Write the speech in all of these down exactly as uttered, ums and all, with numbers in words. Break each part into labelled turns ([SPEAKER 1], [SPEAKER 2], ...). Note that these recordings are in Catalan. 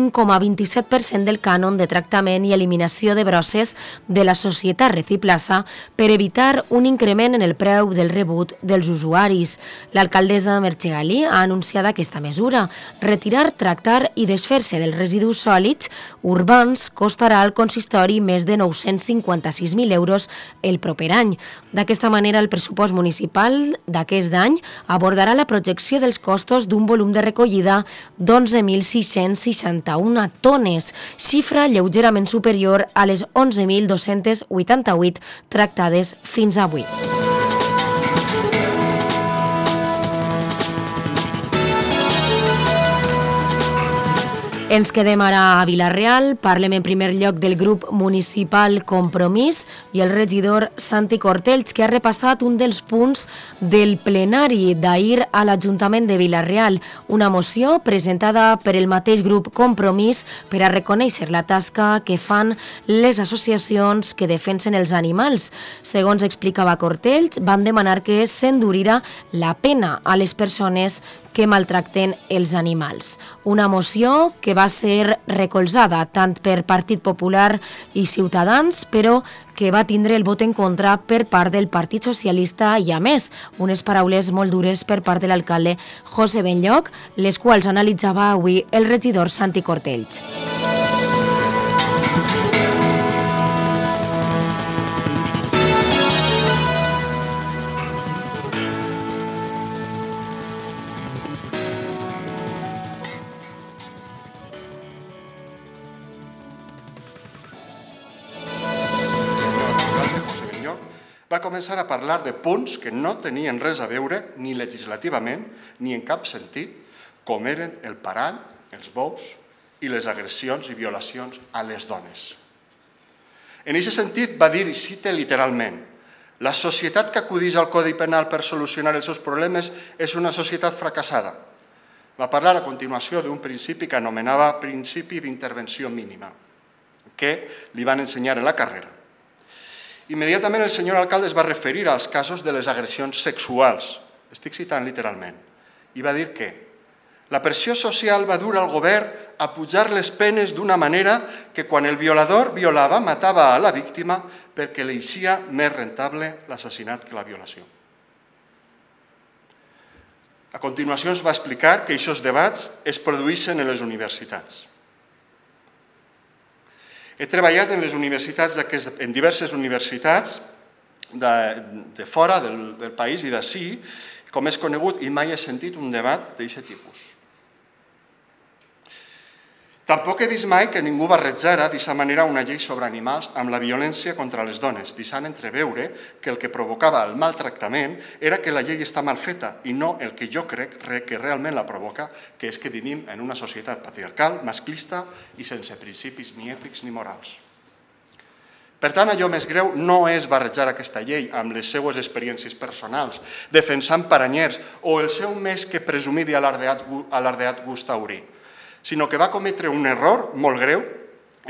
[SPEAKER 1] un coma vint-i-set per cent del cànon de tractament i eliminació de brosses de la societat Reciplaça per evitar un increment en el preu del rebut dels usuaris. L'alcaldessa Merche Galí ha anunciat aquesta mesura. Retirar, tractar i desfer-se dels residus sòlids urbans costarà al consistori més de nou-cents cinquanta-sis mil euros el proper any. D'aquesta manera, el pressupost municipal d'aquest any abordarà la projecció dels costos d'un volum de recollida d'onze mil sis-cents seixanta-una tones, xifra lleugerament superior a les onze mil dos-cents vuitanta-vuit tractades fins avui. Ens quedem ara a Vila-real, parlem en primer lloc del grup municipal Compromís i el regidor Santi Cortells, que ha repassat un dels punts del plenari d'ahir a l'Ajuntament de Vila-real, una moció presentada per el mateix grup Compromís per a reconèixer la tasca que fan les associacions que defensen els animals. Segons explicava Cortells, van demanar que s'endurira la pena a les persones que maltracten els animals. Una moció que va ser recolzada tant per Partit Popular i Ciutadans, però que va tindre el vot en contra per part del Partit Socialista i, a més, unes paraules molt dures per part de l'alcalde José Benlloc, les quals analitzava avui el regidor Santi Cortells.
[SPEAKER 2] Va començar a parlar de punts que no tenien res a veure ni legislativament ni en cap sentit, com eren el parany, els bous i les agressions i violacions a les dones. En aquest sentit va dir, i cite literalment, la societat que acudeix al Codi Penal per solucionar els seus problemes és una societat fracassada. Va parlar a continuació d'un principi que anomenava principi d'intervenció mínima, que li van ensenyar en la carrera. Immediatament el senyor alcalde es va referir als casos de les agressions sexuals, estic citant literalment, i va dir que la pressió social va dur al govern a pujar les penes d'una manera que quan el violador violava matava a la víctima perquè li eixia més rentable l'assassinat que la violació. A continuació ens va explicar que aquests debats es produeixen en les universitats. He treballat en les universitats, en diverses universitats de, de fora del, del país i d'ací, com és conegut, i mai he sentit un debat d'aquest tipus. Tampoc he vist mai que ningú barrejara d'aquesta manera una llei sobre animals amb la violència contra les dones, deixant entreveure que el que provocava el maltractament era que la llei està mal feta i no el que jo crec que realment la provoca, que és que vivim en una societat patriarcal, masclista i sense principis ni ètics ni morals. Per tant, allò més greu no és barrejar aquesta llei amb les seues experiències personals, defensant paranyers o el seu més que presumit i alardeat gust taurí, sinó que va cometre un error molt greu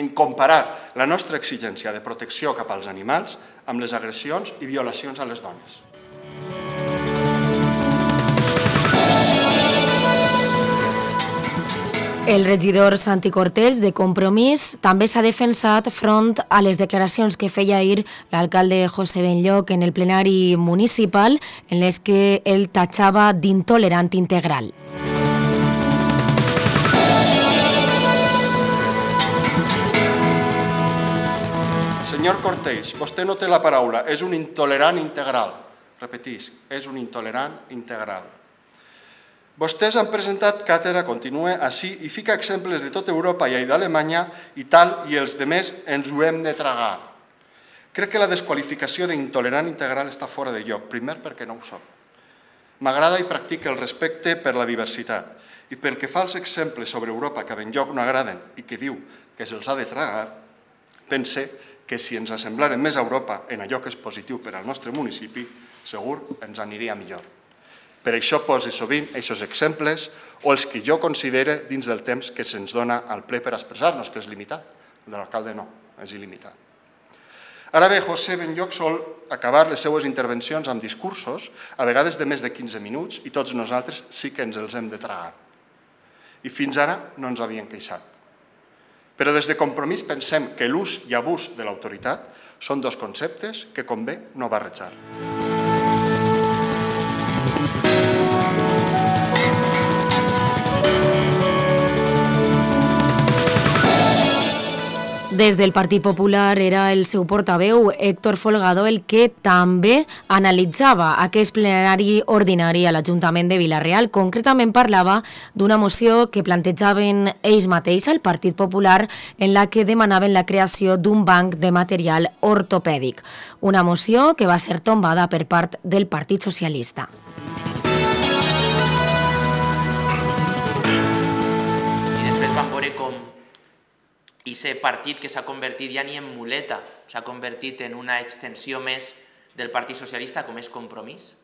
[SPEAKER 2] en comparar la nostra exigència de protecció cap als animals amb les agressions i violacions a les dones.
[SPEAKER 1] El regidor Santi Cortells, de Compromís, també s'ha defensat front a les declaracions que feia ahir l'alcalde José Benlloc en el plenari municipal, en les que ell tatxava d'intolerant integral.
[SPEAKER 2] Senyor Cortells, vostè no té la paraula, és un intolerant integral. Repetís, és un intolerant integral. Vostès han presentat càtedra, continua així, i fica exemples de tota Europa i d'Alemanya i tal, i els demés ens ho hem de tragar. Crec que la desqualificació d'intolerant integral està fora de lloc, primer perquè no ho soc. M'agrada i practica el respecte per la diversitat, i pel que fa als exemples sobre Europa que a Benlloc no agraden i que diu que se'ls ha de tragar, pense que si ens assemblaren més a Europa en allò que és positiu per al nostre municipi, segur ens aniria millor. Per això poso sovint aquests exemples o els que jo considere dins del temps que se'ns dona al ple per expressar-nos, que és limitat. El de l'alcalde no, és il·limitat. Ara bé, José Benlloc sol acabar les seues intervencions amb discursos, a vegades de més de quinze minuts, i tots nosaltres sí que ens els hem de tragar. I fins ara no ens havien queixat. Però des de Compromís pensem que l'ús i abús de l'autoritat són dos conceptes que convé no barrejar.
[SPEAKER 1] Des del Partit Popular era el seu portaveu, Héctor Folgado, el que també analitzava aquest plenari ordinari a l'Ajuntament de Vila-real. Concretament parlava d'una moció que plantejaven ells mateix al Partit Popular en la que demanaven la creació d'un banc de material ortopèdic. Una moció que va ser tombada per part del Partit Socialista.
[SPEAKER 3] I després vam veure com i aquest partit que s'ha convertit ja ni en muleta, s'ha convertit en una extensió més del Partit Socialista com és Compromís.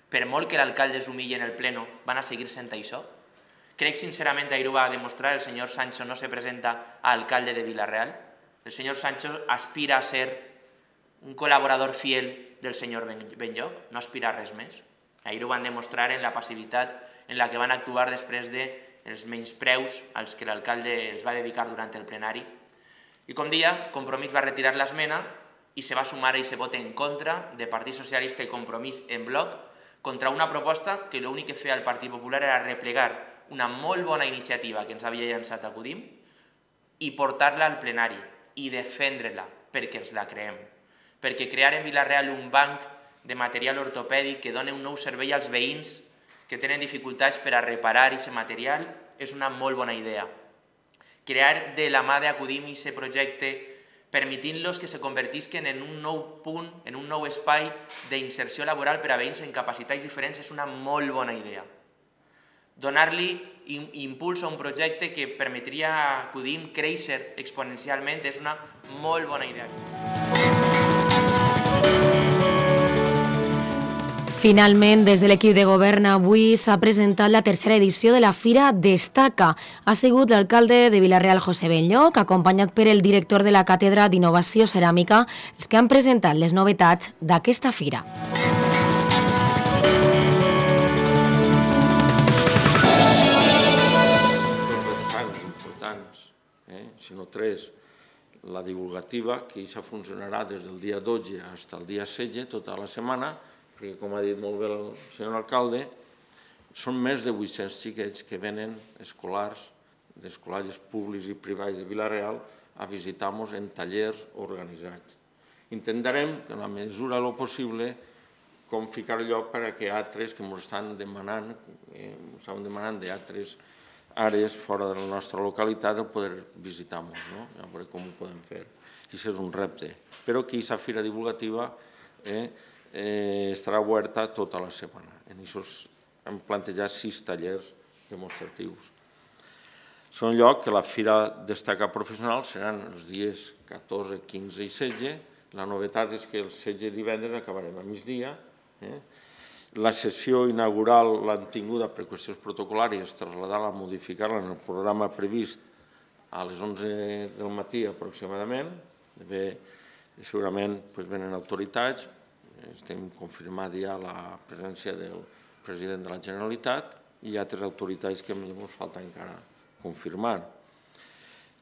[SPEAKER 3] Per molt que l'alcalde es humilli en el pleno, van a seguir sent això. Crec sincerament, ahir ho va demostrar, el senyor Sancho no se presenta a alcalde de Vila-real. El senyor Sancho aspira a ser un col·laborador fiel del senyor Benlloc, no aspira a res més. Ahir ho van demostrar en la passivitat en la que van actuar després de els menyspreus als que l'alcalde els va dedicar durant el plenari. I com dia, Compromís va retirar l'esmena i se va sumar i se vota en contra de Partit Socialista i Compromís en bloc contra una proposta que l'únic que feia el Partit Popular era replegar una molt bona iniciativa que ens havia llançat a Cudim i portar-la al plenari i defendre-la perquè ens la creem. Perquè crear en Vila-real un banc de material ortopèdic que doni un nou servei als veïns que tenen dificultats per a reparar aquest material és una molt bona idea. Crear de la mà d'Acudim aquest projecte permitint-los que se convertisquen en un nou punt, en un nou espai d'inserció laboral per a veïns en capacitats diferents és una molt bona idea. Donar-li impuls a un projecte que permetria a Acudim créixer exponencialment és una molt bona idea.
[SPEAKER 1] Finalment, des de l'equip de govern, avui s'ha presentat la tercera edició de la Fira Destaca. Ha sigut l'alcalde de Vila-real, José Benlloc, acompanyat per el director de la Càtedra d'Innovació Ceràmica, els que han presentat les novetats d'aquesta fira.
[SPEAKER 4] Dos importants, eh? sinó tres. La divulgativa, que ja funcionarà des del dia dotze fins al dia setze, tota la setmana, perquè, com ha dit molt bé el senyor alcalde, són més de vuit-cents xiquets que venen escolars, d'escolars públics i privats de Vila-real, a visitar-nos en tallers organitzats. Intentarem, en la mesura del possible, com ficar lloc per a que altres que ens estan demanant, ens estan demanant d'altres àrees fora de la nostra localitat, el poder visitar-nos, no? A veure com ho podem fer. I això és un repte. Però que aquesta fira divulgativa eh, Eh, estarà oberta tota la setmana. En això hem plantejat sis tallers demostratius. Són lloc que la Fira Destaca Professional seran els dies catorze, quinze i setze. La novetat és que el setze divendres acabarem a migdia. Eh? La sessió inaugural l'han tinguda per qüestions protocolàries, traslladar-la, modificar-la en el programa previst a les onze del matí aproximadament. Bé, segurament doncs, venen autoritats. Estem confirmant ja la presència del president de la Generalitat i altres autoritats que ens falta encara confirmar.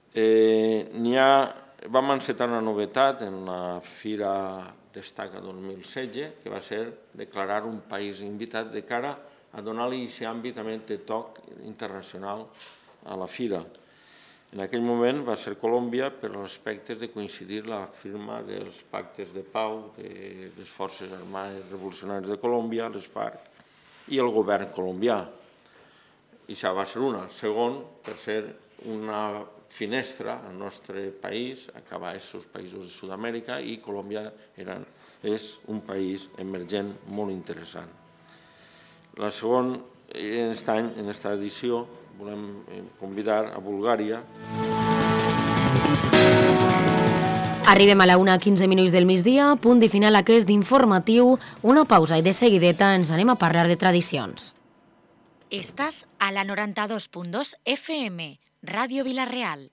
[SPEAKER 4] Eh, n'hi ha, vam encetar una novetat en la Fira Destaca dos mil setze, que va ser declarar un país invitat de cara a donar-li aquest àmbit també de toc internacional a la Fira. En aquell moment va ser Colòmbia per als aspectes de coincidir la firma dels pactes de pau de les Forces Armades Revolucionàries de Colòmbia, les FARC, i el govern colombià. I això va ser una. Segon, per ser una finestra al nostre país, acabar aquests països de Sud-amèrica, i Colòmbia és un país emergent molt interessant. La segona, en aquest any, en aquesta edició, volem convidar a Bulgària.
[SPEAKER 1] Arribem a la una quinze minuts del migdia, punt i final aquest informatiu, una pausa i de seguideta ens anem a parlar de tradicions.
[SPEAKER 5] Estàs a la noranta-dos punt dos F M, Ràdio Vila-real.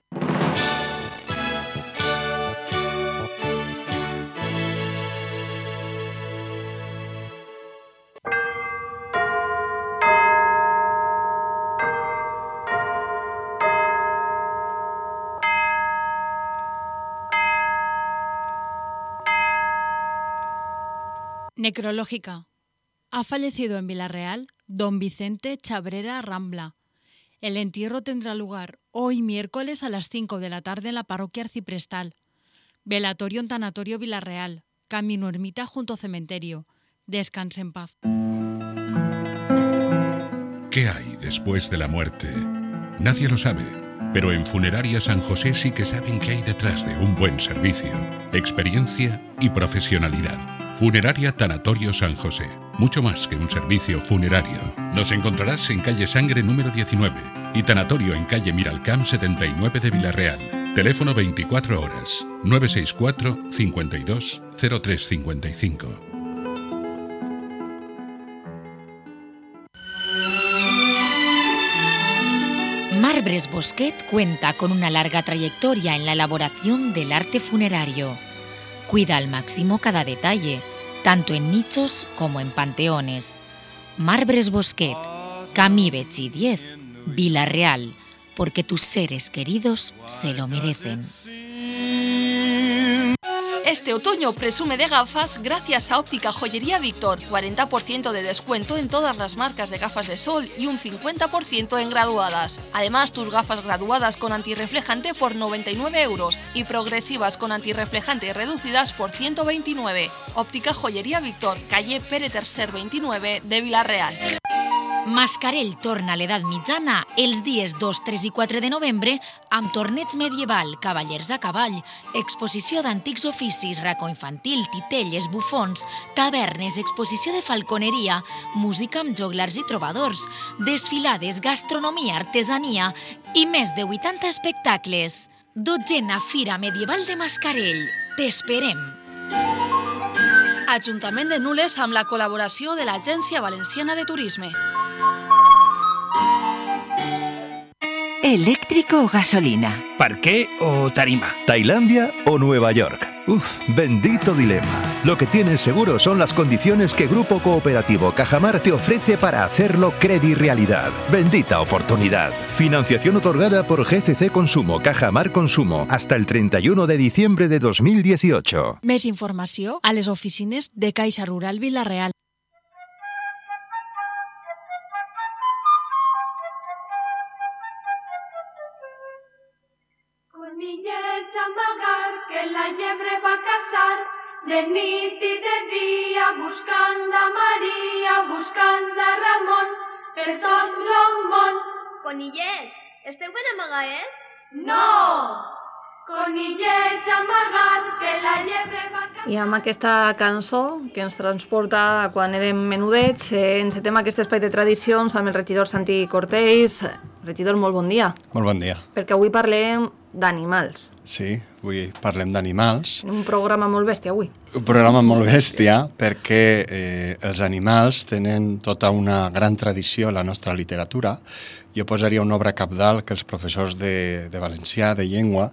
[SPEAKER 6] Necrológica. Ha fallecido en Villarreal don Vicente Chabrera Rambla. El entierro tendrá lugar hoy miércoles a las cinco de la tarde en la parroquia arciprestal. Velatorio en Tanatorio Villarreal, camino ermita junto a cementerio. Descanse en paz.
[SPEAKER 7] ¿Qué hay después de la muerte? Nadie lo sabe, pero en Funeraria San José sí que saben qué hay detrás de un buen servicio, experiencia y profesionalidad. Funeraria Tanatorio San José, mucho más que un servicio funerario. Nos encontrarás en calle Sangre número diecinueve y Tanatorio en calle Miralcamp setenta y nueve de Villarreal. Teléfono veinticuatro horas, nueve seis cuatro, cincuenta y dos, cero tres cincuenta y cinco.
[SPEAKER 5] Marbres Bosquet cuenta con una larga trayectoria en la elaboración del arte funerario. Cuida al máximo cada detalle, tanto en nichos como en panteones. Marbres Bosquet, Camí Betxí diez, Villarreal, porque tus seres queridos se lo merecen.
[SPEAKER 8] Este otoño presume de gafas gracias a Óptica Joyería Víctor. cuarenta por ciento de descuento en todas las marcas de gafas de sol y un cincuenta por ciento en graduadas. Además, tus gafas graduadas con antirreflejante por noventa y nueve euros y progresivas con antirreflejante reducidas por ciento veintinueve. Óptica Joyería Víctor, calle Pere Tercer veintinueve de Villarreal.
[SPEAKER 5] Mascarell torna a l'edat mitjana els dies dos, tres i quatre de novembre amb torneig medieval, cavallers a cavall, exposició d'antics oficis, racó infantil, titelles, bufons, tavernes, exposició de falconeria, música amb joglars i trobadors, desfilades, gastronomia, artesania i més de vuitanta espectacles. Dotzena Fira Medieval de Mascarell. T'esperem!
[SPEAKER 8] Ajuntament de Nules amb la col·laboració de l'Agència Valenciana de Turisme.
[SPEAKER 9] ¿Eléctrico o gasolina?
[SPEAKER 10] ¿Parqué o tarima?
[SPEAKER 11] ¿Tailandia o Nueva York? Uf, bendito dilema. Lo que tienes seguro son las condiciones que Grupo Cooperativo Cajamar te ofrece para hacerlo Credi Realidad. Bendita oportunidad. Financiación otorgada por G C C Consumo, Cajamar Consumo, hasta el treinta y uno de diciembre de dos mil dieciocho.
[SPEAKER 6] Més informació a les oficines de Caixa Rural Villarreal.
[SPEAKER 12] Conillets amb el gar, que la llebre va caçar, de nit i de dia, buscant a Maria, buscant a Ramon, per tot el món.
[SPEAKER 13] Conillets, esteu ben amagaets?
[SPEAKER 12] No! Conillets amagant, que la llebre va caçar...
[SPEAKER 14] I amb aquesta cançó que ens transporta a quan érem menudets, eh, encetem aquest espai de tradicions amb el regidor Santi Cortells. Regidor, molt bon dia.
[SPEAKER 2] Molt bon dia.
[SPEAKER 14] Perquè avui parlem d'animals.
[SPEAKER 2] Sí, avui parlem d'animals.
[SPEAKER 14] Un programa molt bèstia avui.
[SPEAKER 2] Un programa molt bèstia perquè eh, els animals tenen tota una gran tradició a la nostra literatura. Jo posaria una obra cabdal que els professors de, de valencià, de llengua,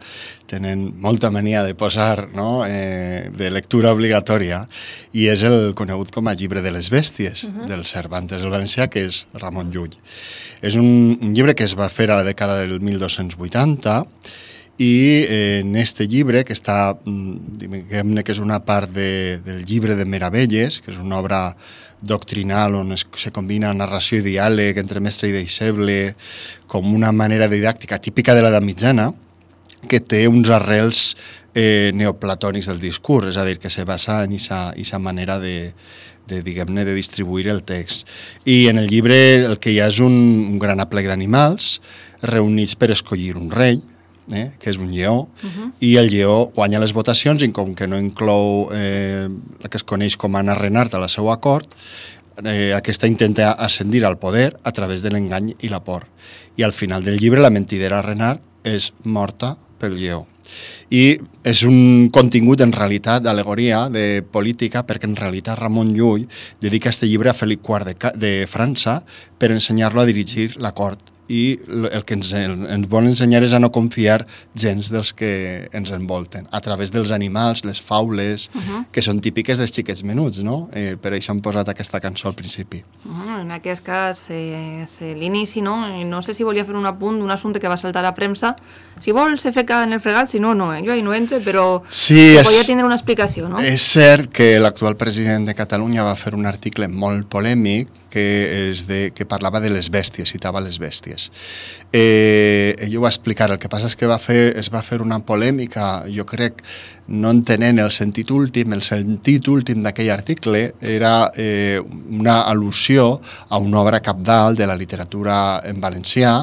[SPEAKER 2] tenen molta mania de posar, no? eh, de lectura obligatòria, i és el conegut com a Llibre de les Bèsties, uh-huh. del Cervantes del valencià, que és Ramon Llull. És un, un llibre que es va fer a la dècada del mil dos-cents vuitanta, i eh, en este llibre, que està, diguem-ne que és una part de, del llibre de Meravelles, que és una obra doctrinal on es, se combina narració i diàleg entre mestre i deixeble, com una manera didàctica típica de l'edat mitjana, que té uns arrels eh, neoplatònics del discurs, és a dir, que se basa en aquesta manera de, de, diguem-ne, de distribuir el text. I en el llibre el que hi ha és un, un gran aplec d'animals reunits per escollir un rei, Eh, que és un lleó, uh-huh. i el lleó guanya les votacions i com que no inclou eh, el que es coneix com Anna Renart a la seva cort, eh, aquesta intenta ascendir al poder a través de l'engany i la por. I al final del llibre la mentidera Renart és morta pel lleó. I és un contingut en realitat d'al·legoria, de política, perquè en realitat Ramon Llull dedica este llibre a Felip quart de, de França per ensenyar-lo a dirigir la cort i el que ens, ens vol ensenyar és a no confiar gens dels que ens envolten, a través dels animals, les faules, uh -huh. que són típiques dels xiquets menuts, no? Eh, per això hem posat aquesta cançó al principi.
[SPEAKER 14] Uh -huh. En aquest cas, eh, és l'inici, no? No sé si volia fer un apunt d'un assumpte que va saltar a premsa. Si vol, se feca en el fregat, si no, no, eh? Jo ahí no entre, però
[SPEAKER 2] sí, és,
[SPEAKER 14] podia tindre una explicació, no?
[SPEAKER 2] És cert que l'actual president de Catalunya va fer un article molt polèmic que, és de, que parlava de les bèsties, citava les bèsties. Eh, ell ho va explicar, el que passa és que va fer, es va fer una polèmica, jo crec, no entenent el sentit últim. El sentit últim d'aquell article era eh, una al·lusió a una obra cabdal de la literatura en valencià,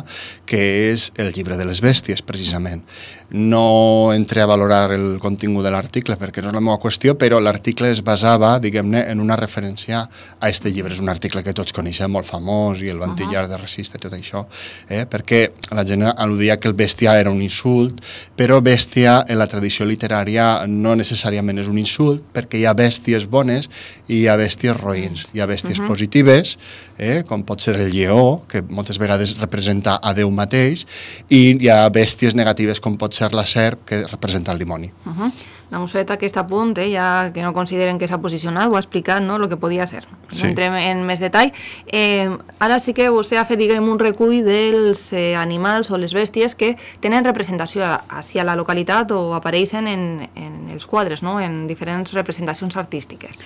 [SPEAKER 2] que és el llibre de les bèsties, precisament. No entré a valorar el contingut de l'article perquè no és la meva qüestió, però l'article es basava, diguem-ne, en una referència a aquest llibre. És un article que tots coneixem, molt famós, i el Vantillar de Resista i tot això, eh? perquè la gent al·ludia que el bèstia era un insult, però bèstia en la tradició literària no necessàriament és un insult, perquè hi ha bèsties bones i hi ha bèsties roïns. Hi ha bèsties uh -huh. positives, eh? com pot ser el lleó, que moltes vegades representa a Déu mateix, i hi ha bèsties negatives com pot ser la serp, que representa el dimoni.
[SPEAKER 14] Uh -huh. Doncs fet aquest apunt, eh, ja que no consideren que s'ha posicionat, ho ha explicat, no?, el que podia ser.
[SPEAKER 2] Sí.
[SPEAKER 14] No entrem en més detall. Eh, ara sí que vostè ha fet, diguem, un recull dels eh, animals o les bèsties que tenen representació hacia la localitat o apareixen en, en els quadres, no?, en diferents representacions artístiques.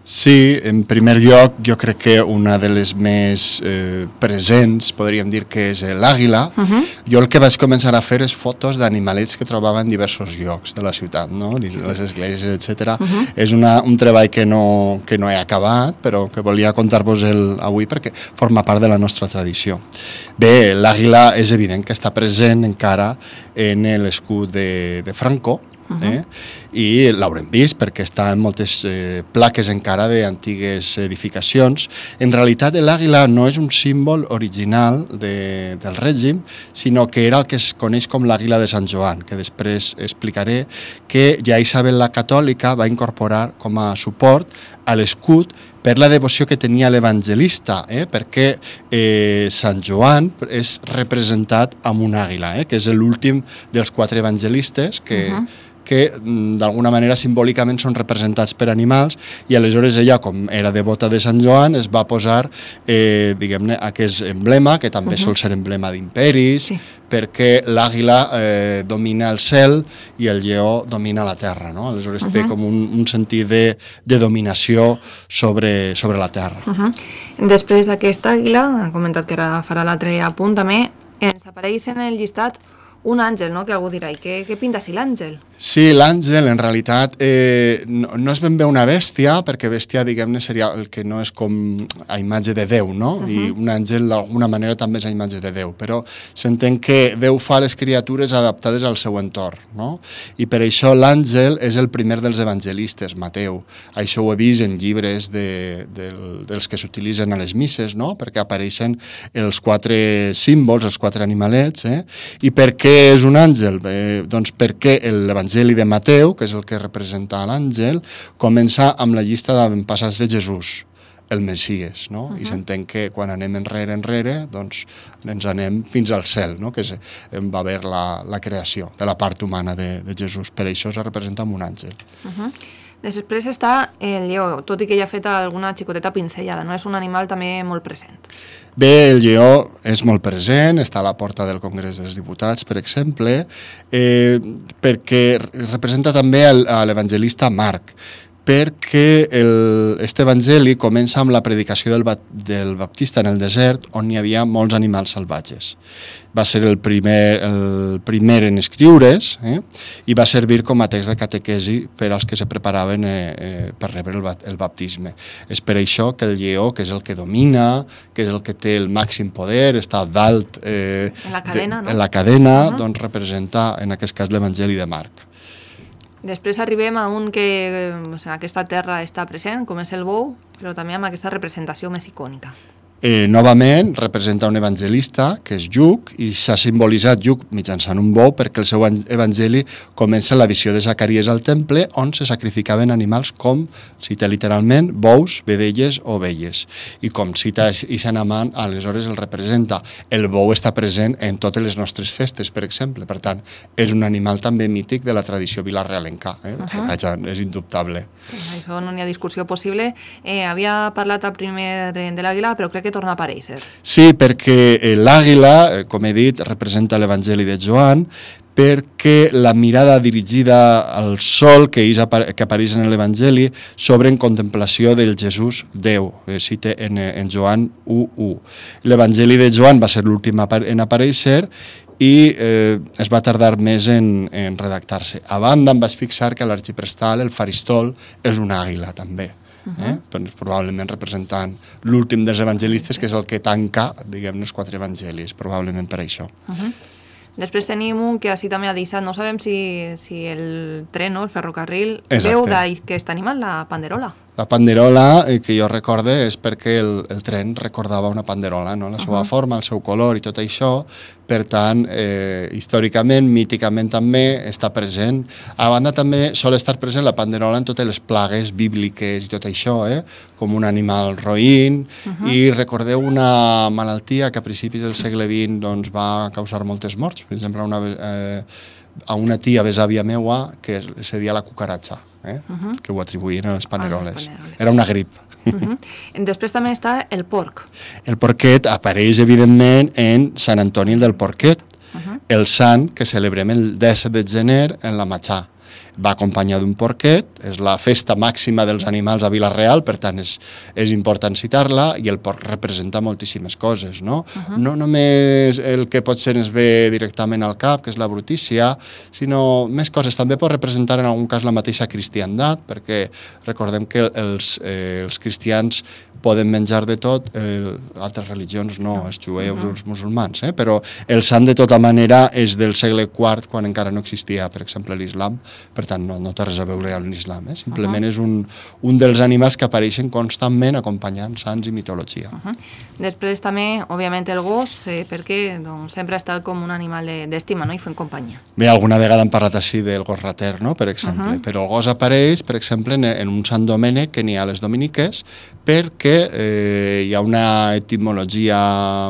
[SPEAKER 2] Sí, en primer lloc, jo crec que una de les més eh, presents, podríem dir que és l'àguila. Uh -huh. Jo el que vaig començar a fer és fotos d'animalets que trobava en diversos llocs de la ciutat, no? Dins de les esglésies, etcètera. Uh -huh. És una, un treball que no, que no he acabat, però que volia contar-vos avui perquè forma part de la nostra tradició. Bé, l'àguila és evident que està present encara en l'escut de, de Franco, eh? i l'haurem vist perquè està en moltes eh, plaques encara d'antigues edificacions. En realitat l'àguila no és un símbol original de, del règim, sinó que era el que es coneix com l'àguila de Sant Joan, que després explicaré, que ja Isabel la Catòlica va incorporar com a suport a l'escut per la devoció que tenia l'evangelista, eh? perquè eh, Sant Joan és representat amb una àguila, eh? que és l'últim dels quatre evangelistes que... Uh-huh. que d'alguna manera simbòlicament són representats per animals, i aleshores ella, com era devota de Sant Joan, es va posar, eh, diguem-ne, aquest emblema, que també uh -huh. sol ser emblema d'imperis, sí. perquè l'àguila eh, domina el cel i el lleó domina la terra, no? Aleshores uh -huh. té com un, un sentit de, de dominació sobre, sobre la terra.
[SPEAKER 14] Uh -huh. Després d'aquesta àguila, ha comentat que ara farà l'altre apunt també, ens apareix en el llistat un àngel, no?, que algú dirà, i què, què pinta si l'àngel?
[SPEAKER 2] Sí, l'àngel en realitat eh, no, no és ben bé una bèstia, perquè bèstia, diguem-ne, seria el que no és com a imatge de Déu, no? Uh -huh. I un àngel d'alguna manera també és a imatge de Déu, però s'entén que Déu fa les criatures adaptades al seu entorn, no? I per això l'àngel és el primer dels evangelistes, Mateu. Això ho he vist en llibres de, de, dels que s'utilitzen a les misses, no? Perquè apareixen els quatre símbols, els quatre animalets, eh? I per què és un àngel? Bé, doncs perquè l'evangeli L'Evangeli de Mateu, que és el que representa l'àngel, comença amb la llista d'avantpassats de Jesús, el Messies, no? Uh -huh. I s'entén que quan anem enrere, enrere, doncs ens anem fins al cel, no? Que és, va haver la, la creació de la part humana de, de Jesús. Per això se representa amb un àngel.
[SPEAKER 14] Uh -huh. Després està el lleó, tot i que ja ha fet alguna xicoteta pincellada, no? És un animal també molt present.
[SPEAKER 2] Bé, el lleó és molt present, està a la porta del Congrés dels Diputats, per exemple, eh, perquè representa també el, l'evangelista Marc, perquè aquest evangeli comença amb la predicació del, del baptista en el desert, on hi havia molts animals salvatges. Va ser el primer, el primer en escriure's, eh? i va servir com a text de catequesi per als que se preparaven eh, eh, per rebre el, el baptisme. És per això que el lleó, que és el que domina, que és el que té el màxim poder, està dalt eh,
[SPEAKER 14] en la cadena,
[SPEAKER 2] de,
[SPEAKER 14] no?
[SPEAKER 2] en la cadena, uh -huh. doncs representa en aquest cas l'Evangeli de Marc.
[SPEAKER 14] Després arribem a un que en aquesta terra està present, com és el bou, però també amb aquesta representació més icònica.
[SPEAKER 2] Eh, novament representa un evangelista, que és Lluc, i s'ha simbolitzat Lluc mitjançant un bou perquè el seu evangeli comença la visió de Zacaries al temple, on se sacrificaven animals com, cita literalment, bous, vedelles o ovelles. I com cita Ixanamant, aleshores el representa. El bou està present en totes les nostres festes, per exemple. Per tant, és un animal també mític de la tradició vilarealenca. Eh? Uh-huh. Això és indubtable.
[SPEAKER 14] Això no n'hi ha discussió possible. Eh, havia parlat a primer de l'àguila, però crec que torna a aparèixer.
[SPEAKER 2] Sí, perquè l'àguila, com he dit, representa l'Evangeli de Joan, perquè la mirada dirigida al sol que, que apareix en l'Evangeli s'obre en contemplació del Jesús Déu, eh, cita en, en Joan u u. L'Evangeli de Joan va ser l'últim en aparèixer i eh, es va tardar més en, en redactar-se. A banda em vaig fixar que l'arxiprestal, el faristol, és una àguila també. Eh? Doncs, probablement representant l'últim dels evangelistes, que és el que tanca, diguem, els quatre evangelis, probablement per això.
[SPEAKER 14] Uh-huh. Després tenim un que així també ha deixat, no sabem si, si el tren o el ferrocarril
[SPEAKER 2] Exacte.
[SPEAKER 14] Veu d'aquest animal, la panderola.
[SPEAKER 2] La panderola, eh, que jo recorde, és perquè el, el tren recordava una panderola, no? La seva uh-huh. forma, el seu color i tot això. Per tant, eh, històricament, míticament també està present. A banda també sol estar present la panderola en totes les plagues bíbliques i tot això, eh? Com un animal roïn. Uh-huh. I recordeu una malaltia que a principis del segle vint doncs, va causar moltes morts. Per exemple, una, eh, a una tia besàvia meua que se deia la cucaratxa. Eh? Uh-huh. Que ho atribuïen a les paneroles. Ah, les paneroles. Era una grip.
[SPEAKER 14] Uh-huh. Després també està el porc.
[SPEAKER 2] El porquet apareix, evidentment, en Sant Antoni del Porquet, uh-huh. el sant que celebrem el disset de gener en la Matxà. Va acompanyat d'un porquet, és la festa màxima dels animals a Vila-real, per tant és, és important citar-la, i el porc representa moltíssimes coses, no? Uh-huh. No només el que potser ens ve directament al cap, que és la brutícia, sinó més coses. També pot representar en algun cas la mateixa cristiandat, perquè recordem que els, eh, els cristians poden menjar de tot, eh, altres religions no, els jueus o uh-huh. els musulmans, eh? Però el sant de tota manera és del segle quart, quan encara no existia, per exemple, l'islam, per tant no, no té res a veure amb l'islam, eh? Simplement uh-huh. és un, un dels animals que apareixen constantment acompanyant sants i mitologia.
[SPEAKER 14] Uh-huh. Després també, òbviament, el gos, eh, perquè doncs, sempre ha estat com un animal d'estima, no? I fent companyia.
[SPEAKER 2] Bé, alguna vegada hem parlat així del gos rater, no? Per exemple, uh-huh. però el gos apareix, per exemple, en, en un Sant Domènec que n'hi ha a les dominiques, perquè eh, hi ha una etimologia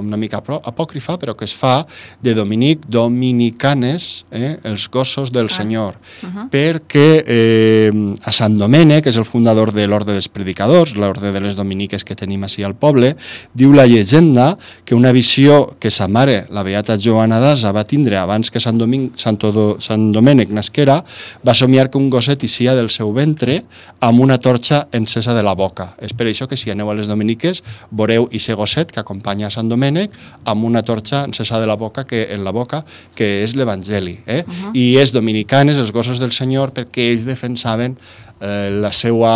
[SPEAKER 2] una mica apòcrifa, però que es fa de Dominic Dominicanes, eh, els gossos del ah. Senyor, uh-huh. perquè eh, a Sant Domènec, que és el fundador de l'Orde dels Predicadors, l'Orde de les Dominiques que tenim així al poble, diu la llegenda que una visió que sa mare, la beata Joana d'Asa, va tindre abans que Sant, Domin... Sant, Do... Sant Domènec nasquera, va somiar que un gosset eixia del seu ventre amb una torxa encesa de la boca. És per això que si aneu a les dominiques veureu ese gosset que acompanya a Sant Domènec amb una torxa encesa de la boca que, en la boca, que és l'Evangeli. Eh? Uh-huh. I és dominicanes, els gossos del Senyor, perquè ells defensaven eh, la seva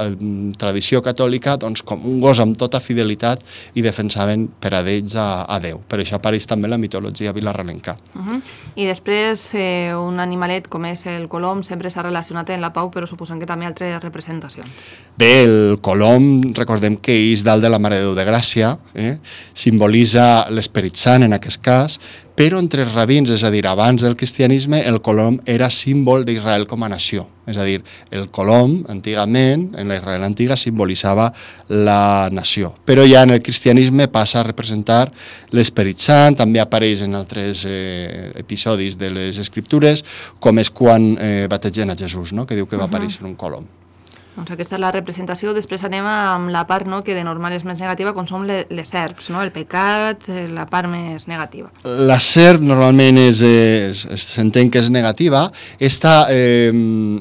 [SPEAKER 2] eh, tradició catòlica doncs, com un gos amb tota fidelitat i defensaven per a d'ells a, a Déu. Per això apareix també la mitologia vilarrealenca.
[SPEAKER 14] Uh-huh. I després eh, un animalet com és el colom sempre s'ha relacionat amb la pau, però suposem que també altres representacions.
[SPEAKER 2] Bé, el colom, recordem que és dalt de la Mare de Déu de Gràcia, eh? Simbolitza l'Esperit Sant en aquest cas, però entre els rabins, és a dir, abans del cristianisme, el colom era símbol d'Israel com a nació. És a dir, el colom, antigament, en la Israel antiga, simbolitzava la nació. Però ja en el cristianisme passa a representar l'Esperit Sant, també apareix en altres eh, episodis de les Escriptures, com és quan eh, bategen a Jesús, no? Que diu que va aparèixer un colom.
[SPEAKER 14] Doncs aquesta és la representació. Després anem amb la part no, que de normal és més negativa, com són les, les serps, no? El pecat, la part més negativa.
[SPEAKER 2] La serp normalment és, és, s'entén que és negativa. Esta, eh,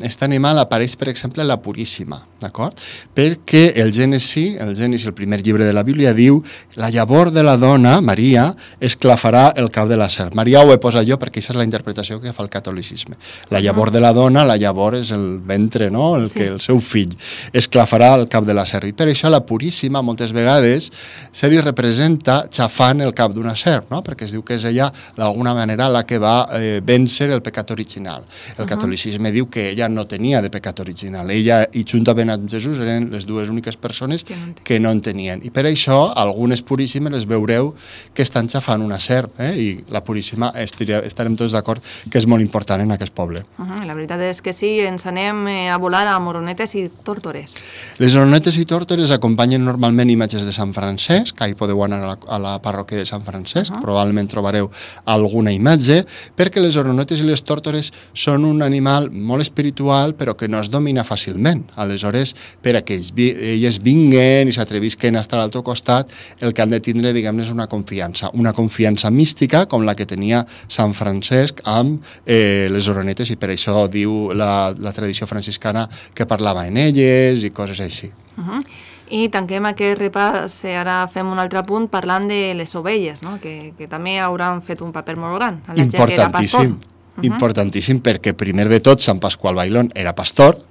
[SPEAKER 2] este animal apareix, per exemple, en la Puríssima, d'acord? Perquè el Gènesi, el Gènesi, el primer llibre de la Bíblia, diu la llavor de la dona, Maria, esclafarà el cap de la serp. Maria ho he posat jo perquè aquesta és la interpretació que fa el catolicisme. La llavor de la dona, la llavor és el ventre, no? El, sí. que, el seu fill esclafarà el cap de la serp. I per això la Puríssima moltes vegades se li representa xafant el cap d'una serp, no? Perquè es diu que és ella d'alguna manera la que va eh, vèncer el pecat original. El uh-huh. catolicisme diu que ella no tenia de pecat original. Ella, i juntament amb Jesús eren les dues úniques persones que no en tenien. I per això, algunes puríssimes les veureu que estan xafant una serp, eh? I la puríssima estarem tots d'acord que és molt important en aquest poble.
[SPEAKER 14] Uh -huh. La veritat és que sí, ens anem a volar a moronetes i tórtores.
[SPEAKER 2] Les moronetes i tórtores acompanyen normalment imatges de Sant Francesc, que hi podeu anar a la, a la parròquia de Sant Francesc, uh -huh. probablement trobareu alguna imatge, perquè les oronetes i les tórtores són un animal molt espiritual, però que no es domina fàcilment. Aleshores, per a que elles vinguen i s'atrevisquen a estar al teu costat, el que han de tindre, diguem-ne, és una confiança, una confiança mística, com la que tenia Sant Francesc amb eh, les oronetes, i per això diu la, la tradició franciscana que parlava en elles i coses així.
[SPEAKER 14] Uh -huh. I tanquem aquest repàs, ara fem un altre punt parlant de les ovelles, no? que, que també hauran fet un paper molt gran. La
[SPEAKER 2] Importantíssim, uh-huh. importantíssim, perquè primer de tot Sant Pasqual Bailón era pastor,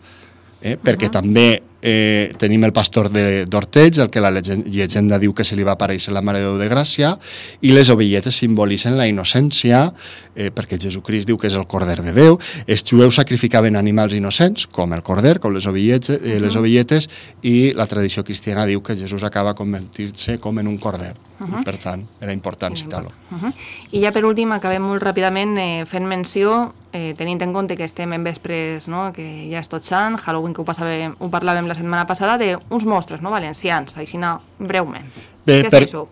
[SPEAKER 2] eh? perquè uh-huh. també eh, tenim el pastor d'Orteig, el que la llegenda diu que se li va aparèixer la Mare de Déu de Gràcia, i les ovelletes simbolitzen la innocència, eh, perquè Jesucrist diu que és el Corder de Déu. Els jueus sacrificaven animals innocents, com el corder, com les ovelletes, eh, les ovelletes, i la tradició cristiana diu que Jesús acaba convertir-se com en un corder. Uh-huh. Per tant, era important citar-lo.
[SPEAKER 14] Uh-huh. I ja per últim, acabem molt ràpidament eh, fent menció, eh, tenint en compte que estem en vespres, no? que ja és tot sant, Halloween, que ho, passàvem, ho parlàvem la setmana passada, d'uns mostres no? valencians, així no, breument.
[SPEAKER 2] Bé,
[SPEAKER 14] Què
[SPEAKER 2] per,
[SPEAKER 14] és això?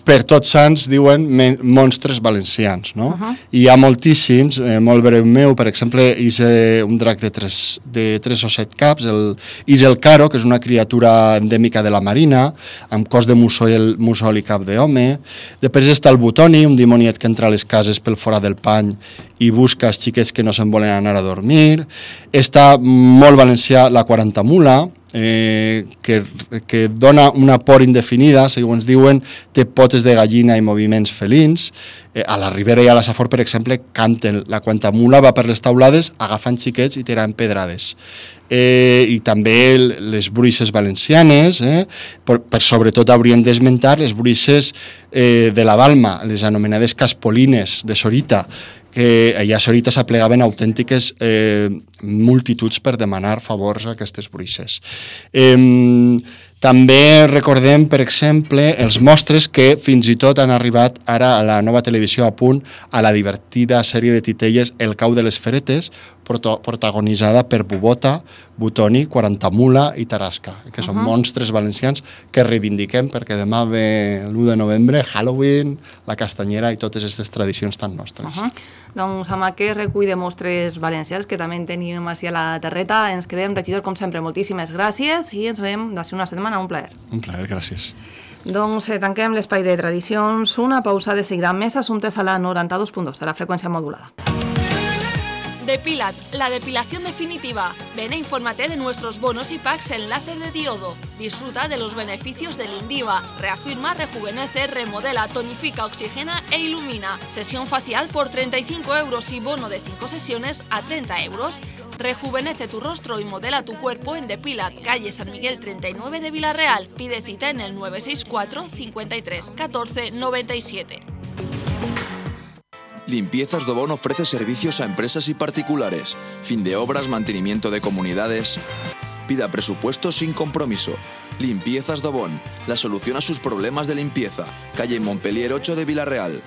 [SPEAKER 2] Per Tots Sants diuen men, monstres valencians, no?
[SPEAKER 14] Uh-huh.
[SPEAKER 2] I hi ha moltíssims, eh, molt breu meu, per exemple, és eh, un drac de tres, de tres o set caps, el, és el Caro, que és una criatura endèmica de la Marina, amb cos de mussol, mussol i cap d'home. Després està el Butoni, un dimoniet que entra a les cases pel forat del pany i busca els xiquets que no se'n volen anar a dormir. Està molt valencià la quarantamula, Eh, que, que dona una por indefinida, segons diuen, té potes de gallina i moviments felins. Eh, a la Ribera i a la Safor, per exemple, canten. La quarantamula va per les taulades agafant xiquets i tirant pedrades. Eh, I també les bruixes valencianes, eh, per, per sobretot hauríem d'esmentar les bruixes eh, de la Balma, les anomenades caspolines de Sorita, que allà a Sorita s'aplegaven autèntiques eh, multituds per demanar favors a aquestes bruixes. Eh, també recordem, per exemple, els mostres que fins i tot han arribat ara a la nova televisió a punt a la divertida sèrie de titelles El cau de les feretes, protagonitzada per Bubota, Butoni, Quarantamula i Tarasca, que són uh-huh. monstres valencians que reivindiquem perquè demà ve l'u de novembre, Halloween, la castanyera i totes aquestes tradicions tan nostres.
[SPEAKER 14] Uh-huh. Doncs amb aquest recull de mostres valencians que també en tenim així a la terreta, ens quedem, regidor, com sempre, moltíssimes gràcies i ens veiem d'ací una setmana. Un plaer.
[SPEAKER 2] Un plaer, gràcies.
[SPEAKER 14] Doncs eh, tanquem l'espai de tradicions, una pausa de seguida amb més assumptes a la noranta-dos punt dos de la freqüència modulada.
[SPEAKER 8] Depilat, la depilación definitiva. Ven e infórmate de nuestros bonos y packs en láser de diodo. Disfruta de los beneficios del Indiva. Reafirma, rejuvenece, remodela, tonifica, oxigena e ilumina. Sesión facial por treinta y cinco euros y bono de cinco sesiones a treinta euros. Rejuvenece tu rostro y modela tu cuerpo en Depilat, calle San Miguel treinta y nueve de Vila-real. Pide cita en el nueve seis cuatro, cincuenta y tres, catorce, noventa y siete.
[SPEAKER 9] Limpiezas Dobón ofrece servicios a empresas y particulares, fin de obras, mantenimiento de comunidades. Pida presupuesto sin compromiso. Limpiezas Dobón, la solución a sus problemas de limpieza. Calle Montpellier ocho de Vila-real.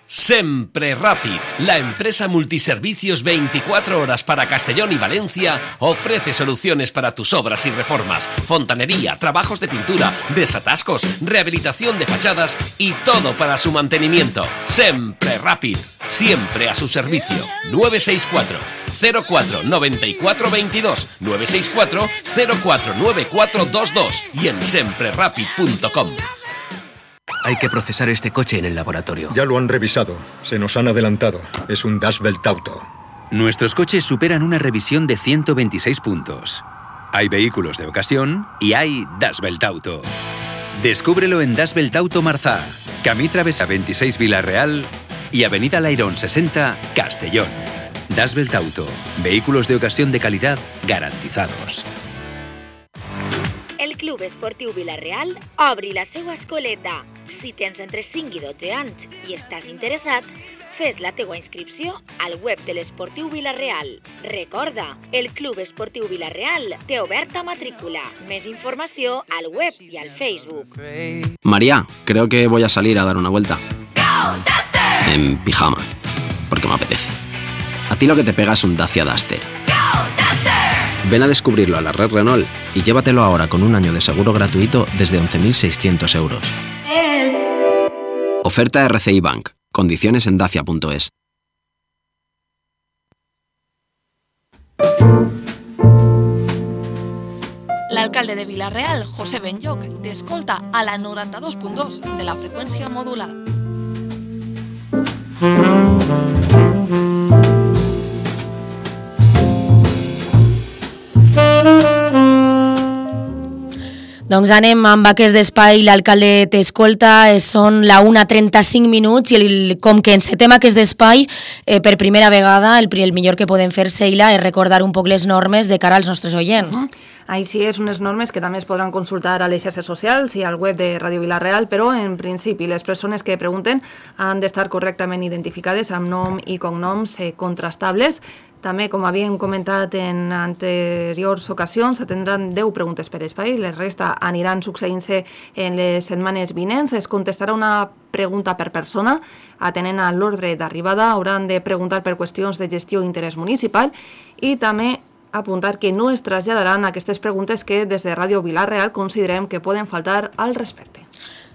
[SPEAKER 10] Sempre Rapid, la empresa multiservicios veinticuatro horas para Castellón y Valencia, ofrece soluciones para tus obras y reformas, fontanería, trabajos de pintura, desatascos, rehabilitación de fachadas y todo para su mantenimiento. Sempre Rapid, siempre a su servicio. nueve seis cuatro, cero cuatro, nueve cuatro dos dos, nueve seis cuatro, cero cuatro nueve cuatro dos dos y en sempre rapid punto com.
[SPEAKER 15] Hay que procesar este coche en el laboratorio.
[SPEAKER 16] Ya lo han revisado. Se nos han adelantado. Es un Das Welt Auto.
[SPEAKER 15] Nuestros coches superan una revisión de ciento veintiséis puntos. Hay vehículos de ocasión y hay Das Welt Auto. Descúbrelo en Das Welt Auto Marzá, Camí Travesa veintiséis Vila-real y Avenida Lairón sesenta, Castellón. Das Welt Auto. Vehículos de ocasión de calidad garantizados.
[SPEAKER 17] El Club Esportiu Vila-real obri la seva escoleta.
[SPEAKER 5] Si tens entre cinc i dotze anys i estàs interessat, fes la teua inscripció al web de l'Esportiu Vila-real. Recorda, el Club Esportiu Vila-real té oberta matrícula. Més informació al web y al Facebook.
[SPEAKER 17] María, creo que voy a salir a dar una vuelta. En pijama, porque me apetece. A ti lo que te pega es un Dacia Duster. Ven a descubrirlo a la red Renault y llévatelo ahora con un año de seguro gratuito desde once mil seiscientos euros. Oferta R C I Bank. Condiciones en dacia punto es.
[SPEAKER 8] L'alcalde de Vila-real, José Benlloc, t'escolta a la noranta-dos punt dos de la freqüència modulada.
[SPEAKER 1] Doncs anem amb aquest espai, l'alcalde t'escolta, són la una trenta-cinc minuts i el, com que encetem aquest espai, eh, per primera vegada el, el millor que podem fer, Sheila, és recordar un poc les normes de cara als nostres oients. Uh -huh.
[SPEAKER 14] Així és, unes normes que també es podran consultar a les xarxes socials i al web de Ràdio Vila-real, però en principi les persones que pregunten han d'estar correctament identificades amb nom i cognoms eh, contrastables. També, com havíem comentat en anteriors ocasions, s'atendran deu preguntes per espai, les resta aniran succeint-se en les setmanes vinents. Es contestarà una pregunta per persona, atenent a l'ordre d'arribada, hauran de preguntar per qüestions de gestió i interès municipal i també apuntar que no es traslladaran aquestes preguntes que des de Ràdio Vila-real considerem que poden faltar al respecte.